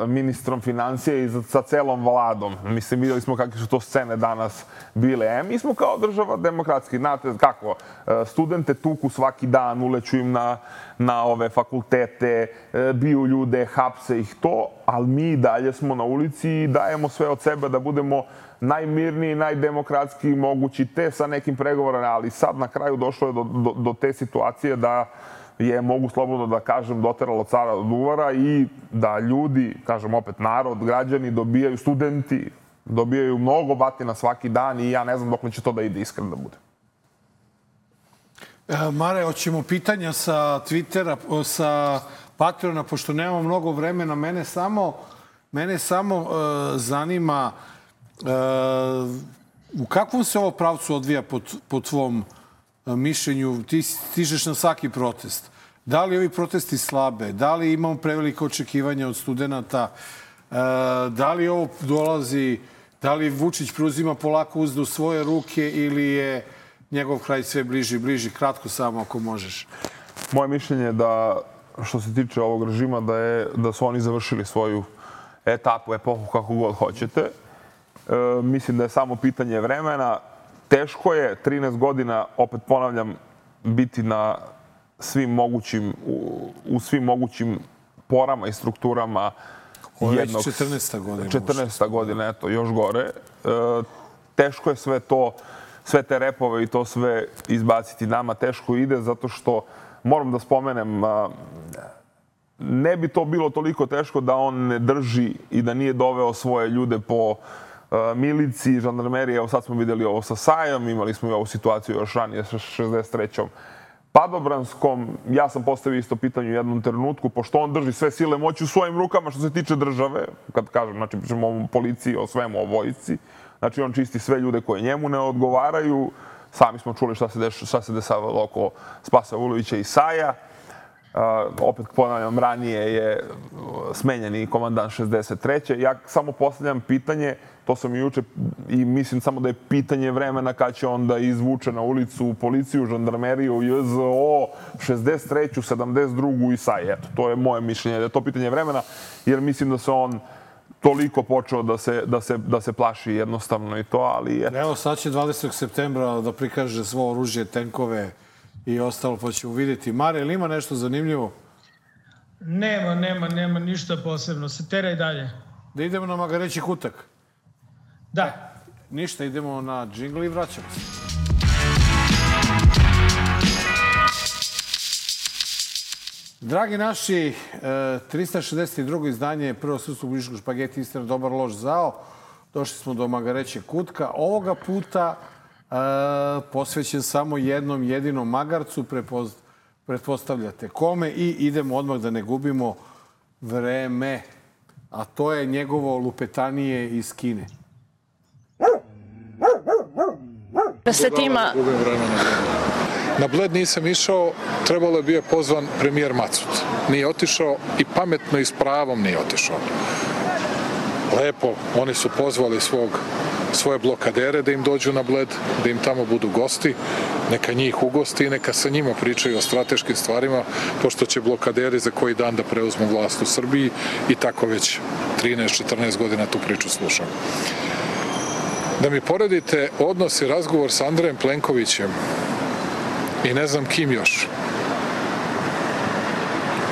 ministrom financija i sa celom vladom. Mislim, vidjeli smo kakve su to scene danas bile. E, mi smo kao država demokratski. Znate kako, studente tuku svaki dan, uleću im na, na ove fakultete, biju ljude, hapse ih to, ali mi dalje smo na ulici i dajemo sve od sebe da budemo najmirniji, najdemokratski mogući, te sa nekim pregovorima, ali sad na kraju došlo je do, do, do te situacije da je, mogu slobodno da kažem, doteralo cara od uvara i da ljudi, kažem opet narod, građani dobijaju, studenti dobijaju mnogo batina svaki dan i ja ne znam dokle će to da ide, iskreno da bude. E, Mare, hoćemo pitanja sa Twittera, sa Patreona, pošto nemamo mnogo vremena. Mene samo, mene samo uh, zanima uh, u kakvom se ovo pravcu odvija po, po tvom mišljenju? Ti stižeš na svaki protest. Da li ovi protesti slabe? Da li imamo prevelike očekivanja od studenta? Uh, da li ovo dolazi, da li Vučić preuzima polako uzdu u svoje ruke ili je njegov kraj sve bliži i bliži? Kratko samo ako možeš. Moje mišljenje je da, što se tiče ovog režima, da, je, da su oni završili svoju etapu, epohu, kako god hoćete. E, mislim da je samo pitanje vremena. Teško je trinaest godina, opet ponavljam, biti na svim mogućim, u, u svim mogućim porama i strukturama. Ovo je već četrnaesta godina. četrnaesta godina, eto, još gore. E, teško je sve to, sve te repove i to sve izbaciti. Nama teško ide zato što, moram da spomenem, ne bi to bilo toliko teško da on ne drži i da nije doveo svoje ljude po miliciji, žandarmerije. Evo sad smo vidjeli ovo sa Sajom, imali smo i ovu situaciju još ranije sa šezdeset trećom padobranskom. Ja sam postavio isto pitanje u jednom trenutku, pošto on drži sve sile moći u svojim rukama što se tiče države, kad kažem, znači pričamo o policiji, o svemu, o vojsci. Znači on čisti sve ljude koje njemu ne odgovaraju. Sami smo čuli šta se, deš, šta se desavalo oko Spasa Vulovića i Saja. Uh, opet ponavljam, ranije je smenjeni komandant šezdeset treće. Ja samo postavljam pitanje, to sam i juče, i mislim samo da je pitanje vremena kad će on da izvuče na ulicu policiju, žandarmeriju, J Z O, šezdeset treću, sedamdeset drugu i Saja. Eto, to je moje mišljenje, da je to pitanje vremena, jer mislim da se on toliko počeo da se, da se, da se plaši jednostavno i to, ali je... Evo, sad će dvadesetog septembra da prikaže svo oružje, tenkove i ostalo, pa ćemo vidjeti. Mare, ili ima nešto zanimljivo? Nema, nema, nema ništa posebno. Se teraj dalje. Da idemo na Magareći kutak? Da. Ništa, idemo na džingl i vraćamo se. Dragi naši, trista šezdeset drugo izdanje Prvog srpskog političkog špageti Istina, dobar, loš, zao. Došli smo do Magarećeg kutka. Ovoga puta e, posvećen samo jednom jedinom magarcu, prepoz, pretpostavljate kome, i idemo odmah da ne gubimo vreme. A to je njegovo lupetanije iz Kine. Se tima... Na Bled nisam išao, trebalo je bio pozvan premijer Macut. Nije otišao i pametno i s pravom nije otišao. Lepo, oni su pozvali svog, svoje blokadere da im dođu na Bled, da im tamo budu gosti, neka njih ugosti i neka sa njima pričaju o strateškim stvarima, pošto će blokaderi za koji dan da preuzmu vlast u Srbiji i tako već trinaest četrnaest godina tu priču slušam. Da mi poredite odnos i razgovor sa Andrejem Plenkovićem i ne znam kim još,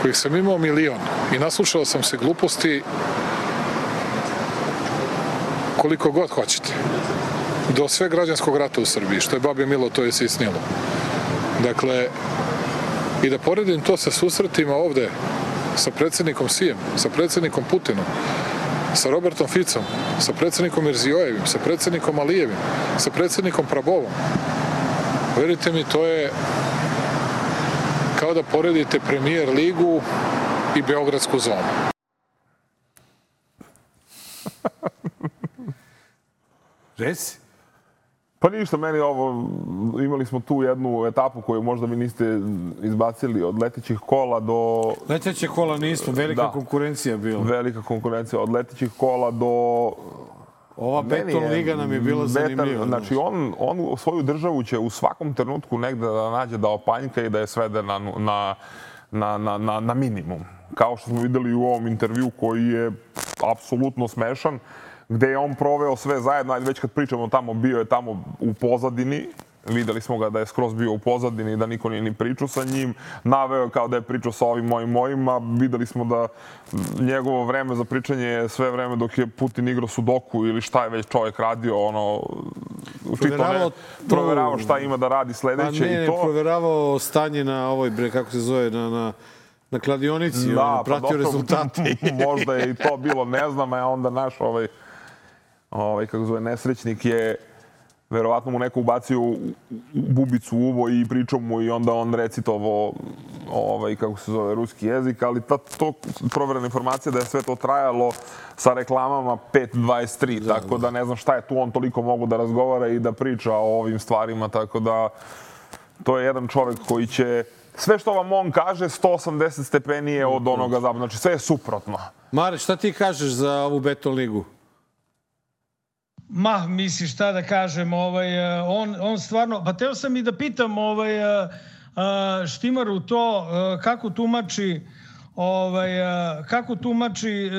kojih sam imao milion i naslušao sam se gluposti koliko god hoćete. Do sve građanskog rata u Srbiji, što je babi milo, to je sisnilo. Dakle, i da poredim to sa susretima ovde sa predsjednikom Sijem, sa predsjednikom Putinom, sa Robertom Ficom, sa predsjednikom Mirzijojevim, sa predsjednikom Alijevim, sa predsjednikom Prabovom. Verite mi, to je kao da poredite Premier ligu i Beogradsku zonu. Reci. Pa ništa, meni ovo, imali smo tu jednu etapu koju možda vi niste izbacili, od letećih kola do... Leteće kola nismo, velika da. konkurencija bila. Velika konkurencija, od letećih kola do... Ova beton liga nam je bila zanimljiva. Znači, on, on svoju državu će u svakom trenutku negde da nađe da opanjka i da je svede na, na, na, na, na, na minimum. Kao što smo videli u ovom intervju koji je apsolutno smešan, gde je on proveo sve zajedno, ajde već kad pričamo tamo, bio je tamo u pozadini, videli smo ga da je skroz bio u pozadini, da niko nije ni pričao sa njim, naveo kao da je pričao sa ovim mojim mojima, videli smo da njegovo vreme za pričanje je sve vreme dok je Putin igrao sudoku ili šta je već čovjek radio, ono, Proveravao, proveravao šta ima da radi sledeće pa ne, i to. Proveravao stanje na ovoj, bre, kako se zove, na, na, na kladionici, da, ono, pratio pa rezultate. Možda je i to bilo, ne znam, a onda naš ovaj, ovaj kako zove, nesrećnik je verovatno mu neko ubacio bubicu u uvo i pričao mu i onda on recitovao ovaj, kako se zove, ruski jezik, ali ta, to proverena informacija da je sve to trajalo sa reklamama pet dvadeset tri, da, tako da ne znam šta je tu on toliko mogu da razgovara i da priča o ovim stvarima, tako da to je jedan čovjek koji će sve što vam on kaže sto osamdeset stepenije od onoga zapravo, znači sve je suprotno. Mare, šta ti kažeš za ovu Beton ligu? Ma, misliš šta da kažem, ovaj, on, on stvarno, pa teo sam i da pitam ovaj, Štimaru to, kako tumači, ovaj, kako tumači,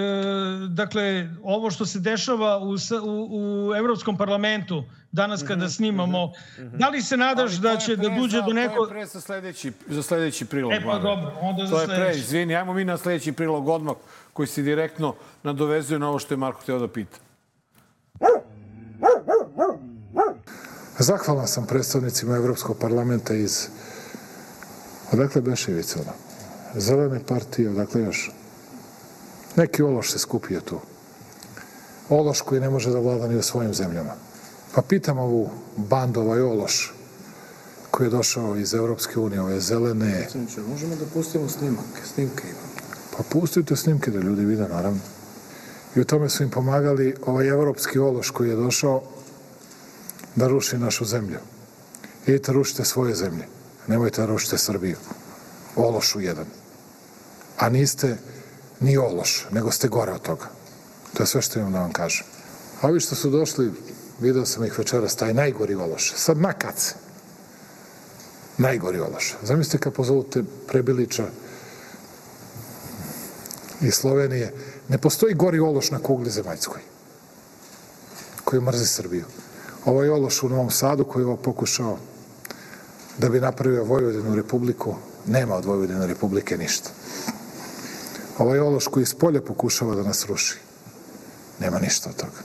dakle, ovo što se dešava u, u, u Evropskom parlamentu danas kada snimamo. Da li se nadaš da će da duđe do neko... To je pre za sledeći, za sledeći prilog. E pa dobro, onda za sledeći. To je pre, izvini, ajmo mi na sledeći prilog odmah koji se direktno nadovezuje na ovo što je Marko hteo da pita. Zahvalan sam predstavnicima Evropskog parlamenta iz... Odakle Beševica, ono? Zelene partije, odakle još? Neki ološ se skupio tu. Ološ koji ne može da vlada ni u svojim zemljama. Pa pitam ovu bandu, ovaj ološ koji je došao iz Evropske unije, ove zelene... Možemo da pustimo snimak, snimke imamo. Pa pustite snimke da ljudi vide, naravno. I u tome su im pomagali ovaj evropski ološ koji je došao da ruši našu zemlju. Idite, rušite svoje zemlje. Nemojte da rušite Srbiju. Ološu jedan. A niste ni ološ, nego ste gore od toga. To je sve što imam da vam kažem. A ovi što su došli, video sam ih večeras, taj najgori ološ. Sad makac. Najgori ološ. Zamislite kad pozovute Prebilića iz Slovenije. Ne postoji gori ološ na kugli zemaljskoj koji mrzi Srbiju. Ovaj ološ u Novom Sadu koji je ovo pokušao da bi napravio Vojvodinu republiku, nema od Vojvodine republike ništa. Ovaj ološ koji iz polja pokušava da nas ruši, nema ništa od toga.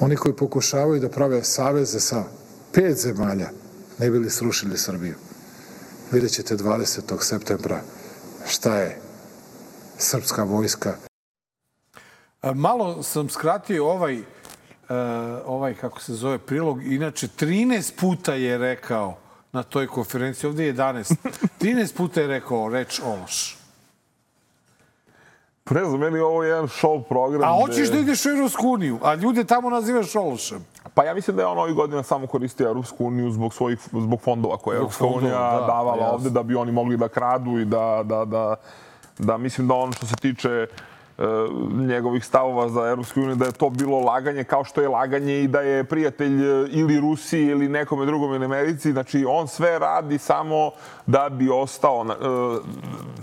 Oni koji pokušavaju da prave saveze sa pet zemalja, ne bi li srušili Srbiju. Vidjet ćete dvadesetog septembra šta je srpska vojska. Malo sam skratio ovaj, ovaj, kako se zove, prilog. Inače, trinaest puta je rekao na toj konferenciji, ovdje je jedanaest, trinaest puta je rekao reč ološ. Ne znam, meni ovo je jedan show program. A hoćeš da ideš u Evropsku uniju, a ljude tamo nazivaš ološem. Pa ja mislim da je on ovih godina samo koristio Evropsku uniju zbog svojih zbog fondova koje je Evropska unija davala ovde da bi oni mogli da kradu i da, da, da, da mislim da on što se tiče njegovih stavova za Evropsku uniju, da je to bilo laganje kao što je laganje i da je prijatelj ili Rusiji ili nekome drugom ili Americi. Znači, on sve radi samo da bi ostao.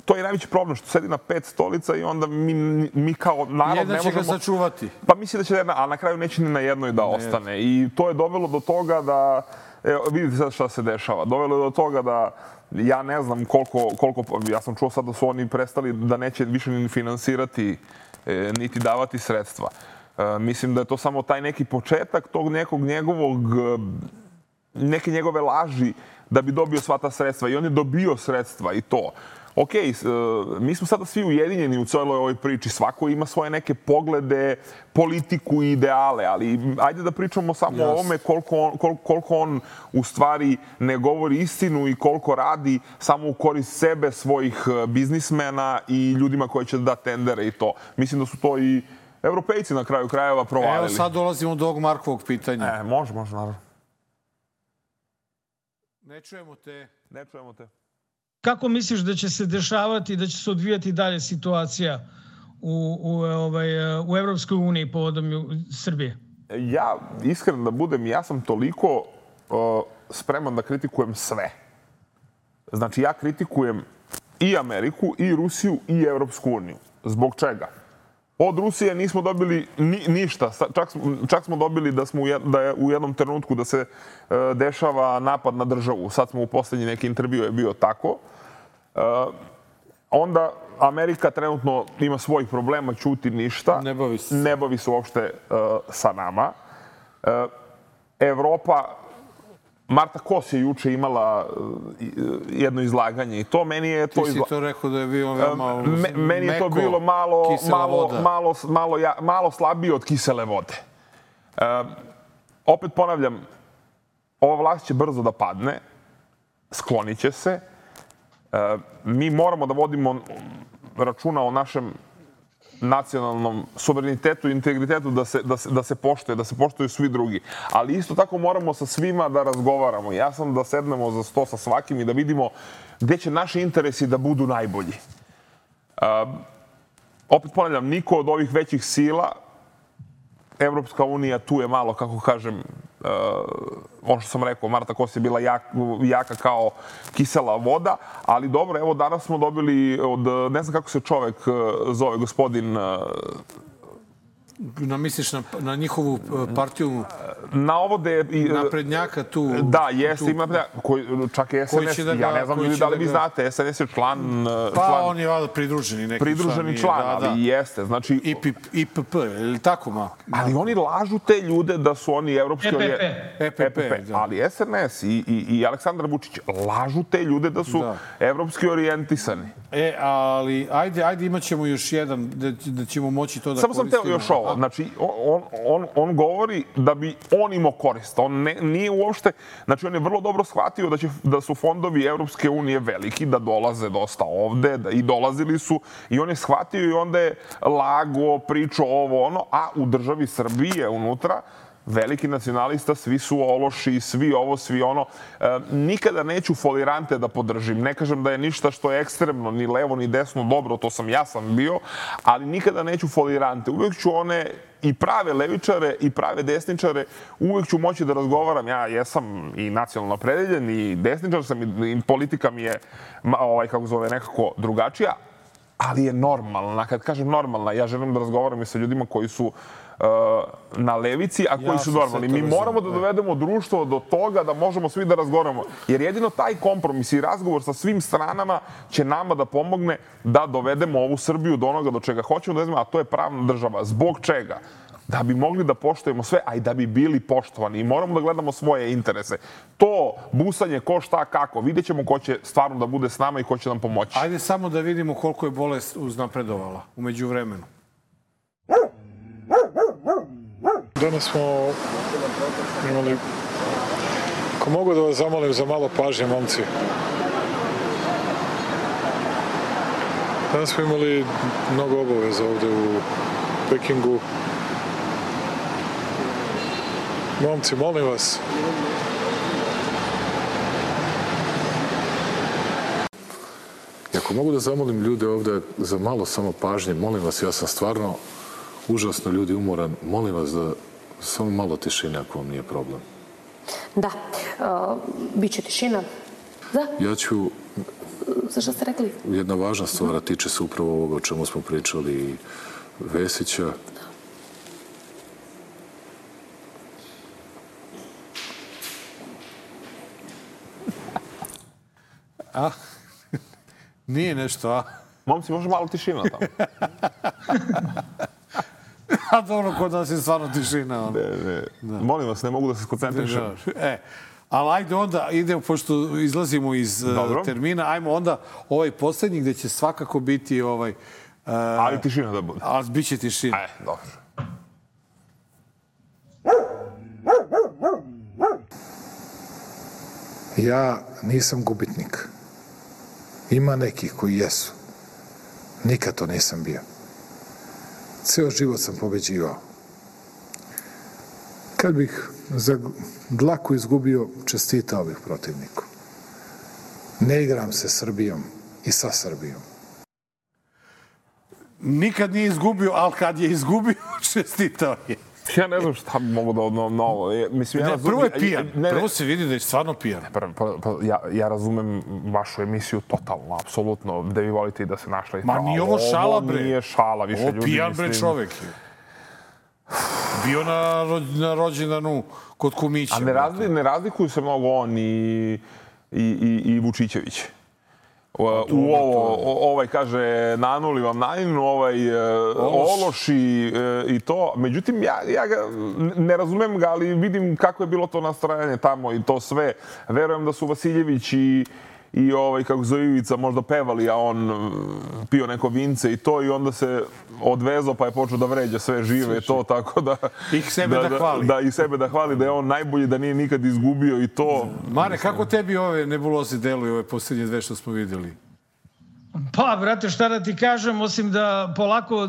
To je najveći problem što sedi na pet stolica i onda mi, mi kao narod ne možemo... Jedna će ga sačuvati. Pa mislim da će jedna, a na kraju neće ni na jednoj da ostane. I to je dovelo do toga da... Evo, vidite sad šta se dešava. Dovelo je do toga da ja ne znam koliko, koliko, ja sam čuo sad da su oni prestali da neće više ni finansirati e, niti davati sredstva. E, mislim da je to samo taj neki početak tog nekog njegovog, neke njegove laži da bi dobio sva ta sredstva. I on je dobio sredstva i to. Ok, mi smo sada svi ujedinjeni u celoj ovoj priči. Svako ima svoje neke poglede, politiku i ideale, ali ajde da pričamo samo o ovome koliko on, koliko, koliko on u stvari ne govori istinu i koliko radi samo u korist sebe, svojih biznismena i ljudima koji će da tendere i to. Mislim da su to i Evropejci na kraju krajeva provalili. Evo sad dolazimo do ovog Markovog pitanja. E, može, može, naravno. Ne čujemo te. Ne čujemo te. Kako misliš da će se dešavati, da će se odvijati dalje situacija u, u, ovaj, u Evropskoj uniji povodom Srbije? Ja, iskreno da budem, ja sam toliko uh, spreman da kritikujem sve. Znači, ja kritikujem i Ameriku, i Rusiju, i Evropsku uniju. Zbog čega? Od Rusije nismo dobili ni, ništa. Čak, čak smo dobili da, smo u, da je u jednom trenutku da se e, dešava napad na državu. Sad smo u poslednji neki intervju je bio tako. E, onda Amerika trenutno ima svojih problema, ćuti ništa. Ne bavi se. Ne bavi se uopšte e, sa nama. E, Evropa, Marta Kos je juče imala jedno izlaganje i to meni je to Ti si to rekao da je bilo veoma Me, meni je to bilo malo malo, malo, malo, ja, malo slabije od kisele vode. E, opet ponavljam, ova vlast će brzo da padne, sklonit će se. E, mi moramo da vodimo računa o našem nacionalnom suverenitetu i integritetu da se, da, se, da se poštuje, da se poštuju svi drugi. Ali isto tako moramo sa svima da razgovaramo. Ja sam da sednemo za sto sa svakim i da vidimo gde će naši interesi da budu najbolji. Uh, opet ponavljam, niko od ovih većih sila, Evropska unija tu je malo, kako kažem, uh, ono što sam rekao, Marta Kos je bila jak, jaka kao kisela voda, ali dobro, evo danas smo dobili od, ne znam kako se čovek zove, gospodin... Uh, Na, misliš na, na njihovu partiju na ovo da je... naprednjaka tu... Da, jeste, tu, ima... Koji, čak je S N S, da ga, ja ne znam ljudi da li vi da ga... znate, S N S je član... Pa član, on je vada pridruženi neki pridruženi član. Pridruženi član, da, ali da. Jeste, znači... I P P, ili tako ma? Ali oni lažu te ljude da su oni evropski... E P P. E P P, da. Ali S N S i, i, i Aleksandar Vučić lažu te ljude da su da. evropski orijentisani. E, ali ajde, ajde imat ćemo još jedan, da, da ćemo moći to da Samo koristimo. Samo sam teo još ovo. Znači, on, on, on govori da bi on imao korist. On ne, nije uopšte... Znači, on je vrlo dobro shvatio da, će, da su fondovi Evropske unije veliki, da dolaze dosta ovde, da i dolazili su. I on je shvatio i onda je lago, pričao ovo, ono, a u državi Srbije unutra veliki nacionalista, svi su ološi, svi ovo, svi ono. E, nikada neću folirante da podržim. Ne kažem da je ništa što je ekstremno, ni levo, ni desno, dobro, to sam ja sam bio, ali nikada neću folirante. Uvijek ću one i prave levičare i prave desničare, uvijek ću moći da razgovaram. Ja jesam i nacionalno opredeljen i desničar sam i politika mi je, ovaj, kako zove, nekako drugačija, ali je normalna. Kad kažem normalna, ja želim da razgovaram i sa ljudima koji su na levici, a koji su normalni. Mi moramo da dovedemo društvo do toga da možemo svi da razgovaramo. Jer jedino taj kompromis i razgovor sa svim stranama će nama da pomogne da dovedemo ovu Srbiju do onoga do čega hoćemo da znamo, a to je pravna država. Zbog čega? Da bi mogli da poštujemo sve, a i da bi bili poštovani. I moramo da gledamo svoje interese. To busanje ko šta kako, vidjet ćemo ko će stvarno da bude s nama i ko će nam pomoći. Ajde samo da vidimo koliko je bolest uznapredovala umeđu vremenu. Danas smo imali... Ako mogu da vas zamolim za malo pažnje, momci. Danas smo imali mnogo obaveza ovde u Pekingu. Momci, molim vas. Ako mogu da zamolim ljude ovde za malo samo pažnje, molim vas, ja sam stvarno užasno ljudi umoran. Molim vas da samo malo tišine ako vam nije problem. Da, uh, bit će tišina. Da. Ja ću... Za što ste rekli? Jedna važna stvar, a tiče se upravo ovoga o čemu smo pričali i Vesića. A? Nije nešto, a? Momci, može malo tišina tamo. A dobro, kod nas je stvarno tišina. Ne, ne. Da. Molim vas, ne mogu da se skoncentrišem. E, ali ajde onda, idemo, pošto izlazimo iz Dobro. termina, ajmo onda ovaj poslednji gde će svakako biti ovaj... Uh, ali tišina da bude. Ali bit će tišina. E, dobro. Ja nisam gubitnik. Ima nekih koji jesu. Nikad to nisam bio. Ceo život sam pobeđivao. Kad bih za dlaku izgubio, čestitao bih protivniku. Ne igram se Srbijom i sa Srbijom. Nikad nije izgubio, ali kad je izgubio, čestitao je. Ja ne znam šta bi mogu da odnovam na ovo. Mislim, ja ne, razumem, prvo je pijan. Ne, ne, prvo se vidi da je stvarno pijan. Ne, pa, pa, ja, ja razumem vašu emisiju totalno, apsolutno, da vi volite i da se našli. Ma nije ovo šala, bre. Ovo nije šala, više ovo ljudi, pijan, mislim... bre, čovek je. Bio na, na rođendanu kod kumića. A ne, razli, ne razlikuju se mnogo on i, i, i, i Vučićević. U, u ovo, ovaj kaže nanuli vam najinu, ovaj Ološ, Ološ i, i to. Međutim, ja, ja ga, ne razumem ga, ali vidim kako je bilo to nastrajanje tamo i to sve. Verujem da su Vasiljević i, i ovaj, kako zove Ivica, možda pevali, a on pio neko vince i to i onda se odvezao pa je počeo da vređa sve žive i to, tako da... Ih sebe da, da hvali. Da, i sebe da hvali, da je on najbolji, da nije nikad izgubio i to. Mare, kako tebi ove nebuloze deluju, ove posljednje dve što smo vidjeli? Pa, brate, šta da ti kažem, osim da polako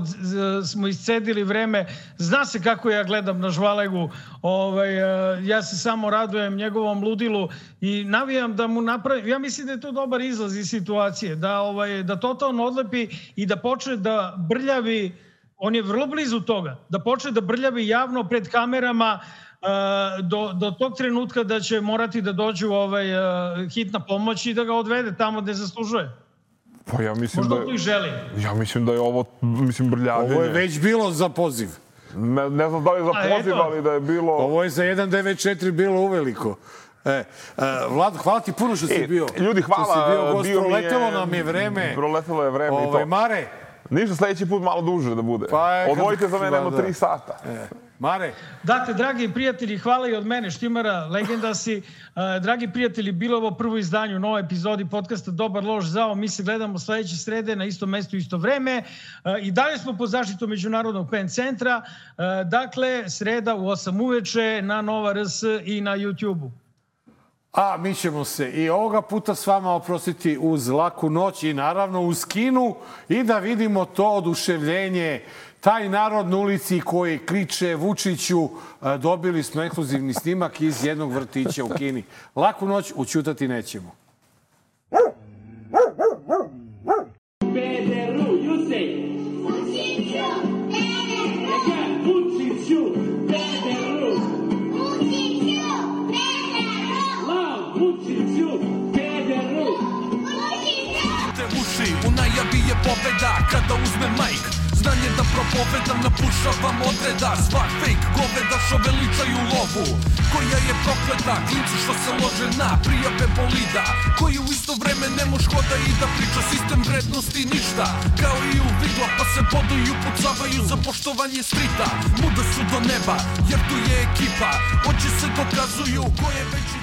smo iscedili vreme, zna se kako ja gledam na Žvalegu, ovaj, ja se samo radujem njegovom ludilu i navijam da mu napravim, ja mislim da je to dobar izlaz iz situacije, da, ovaj, da totalno odlepi i da počne da brljavi, on je vrlo blizu toga, da počne da brljavi javno pred kamerama do, do tog trenutka da će morati da dođu ovaj, hitna pomoć i da ga odvede tamo gde zaslužuje. Pa ja mislim možda da je, to i želi. Ja mislim da je ovo, mislim, brljavljenje. Ovo je već bilo za poziv. Ne, ne znam da li je za poziv, ali da je bilo... Ovo je za jedan devet četiri bilo uveliko. E, Vlado, hvala ti puno što si e, bio. Ljudi, hvala. Što si bio gost, bio proletelo je, nam je vreme. Proletelo je vreme Ove, i to. Mare. Ništa, sledeći put malo duže da bude. Pa je, odvojite za mene jedno da, tri sata. E. Mare. Dakle, dragi prijatelji, hvala i od mene, Štimara, legenda si. Dragi prijatelji, bilo ovo prvo izdanje u novoj epizodi podcasta Dobar, loš, zao. Mi se gledamo sledeće srede na istom mestu, isto vreme. I dalje smo pod zaštitom Međunarodnog pen centra. Dakle, sreda u osam uveče na Nova R S i na YouTube-u. A mi ćemo se i ovoga puta s vama oprostiti uz laku noć i naravno uz kinu i da vidimo to oduševljenje, taj narod na ulici koji kriče Vučiću. Dobili smo ekskluzivni snimak iz jednog vrtića u Kini. Laku noć, ućutati nećemo. Pederu, you say. Vučiću, Pederu. Vučiću, Pederu. Vučiću, Pederu. Vučiću, Pederu. Te uši, u najavi je pobeda kada uzme majk. Znanje da propovedam, napušavam odreda. Svak fake goveda što veličaju lovu koja je prokleta, klinci što se lože na prijave bolida, koji u isto vreme ne moš hoda i da priča sistem vrednosti ništa. Kao i u vidla pa se boduju i upucavaju za poštovanje strita. Muda su do neba jer tu je ekipa, oči se dokazuju ko je veći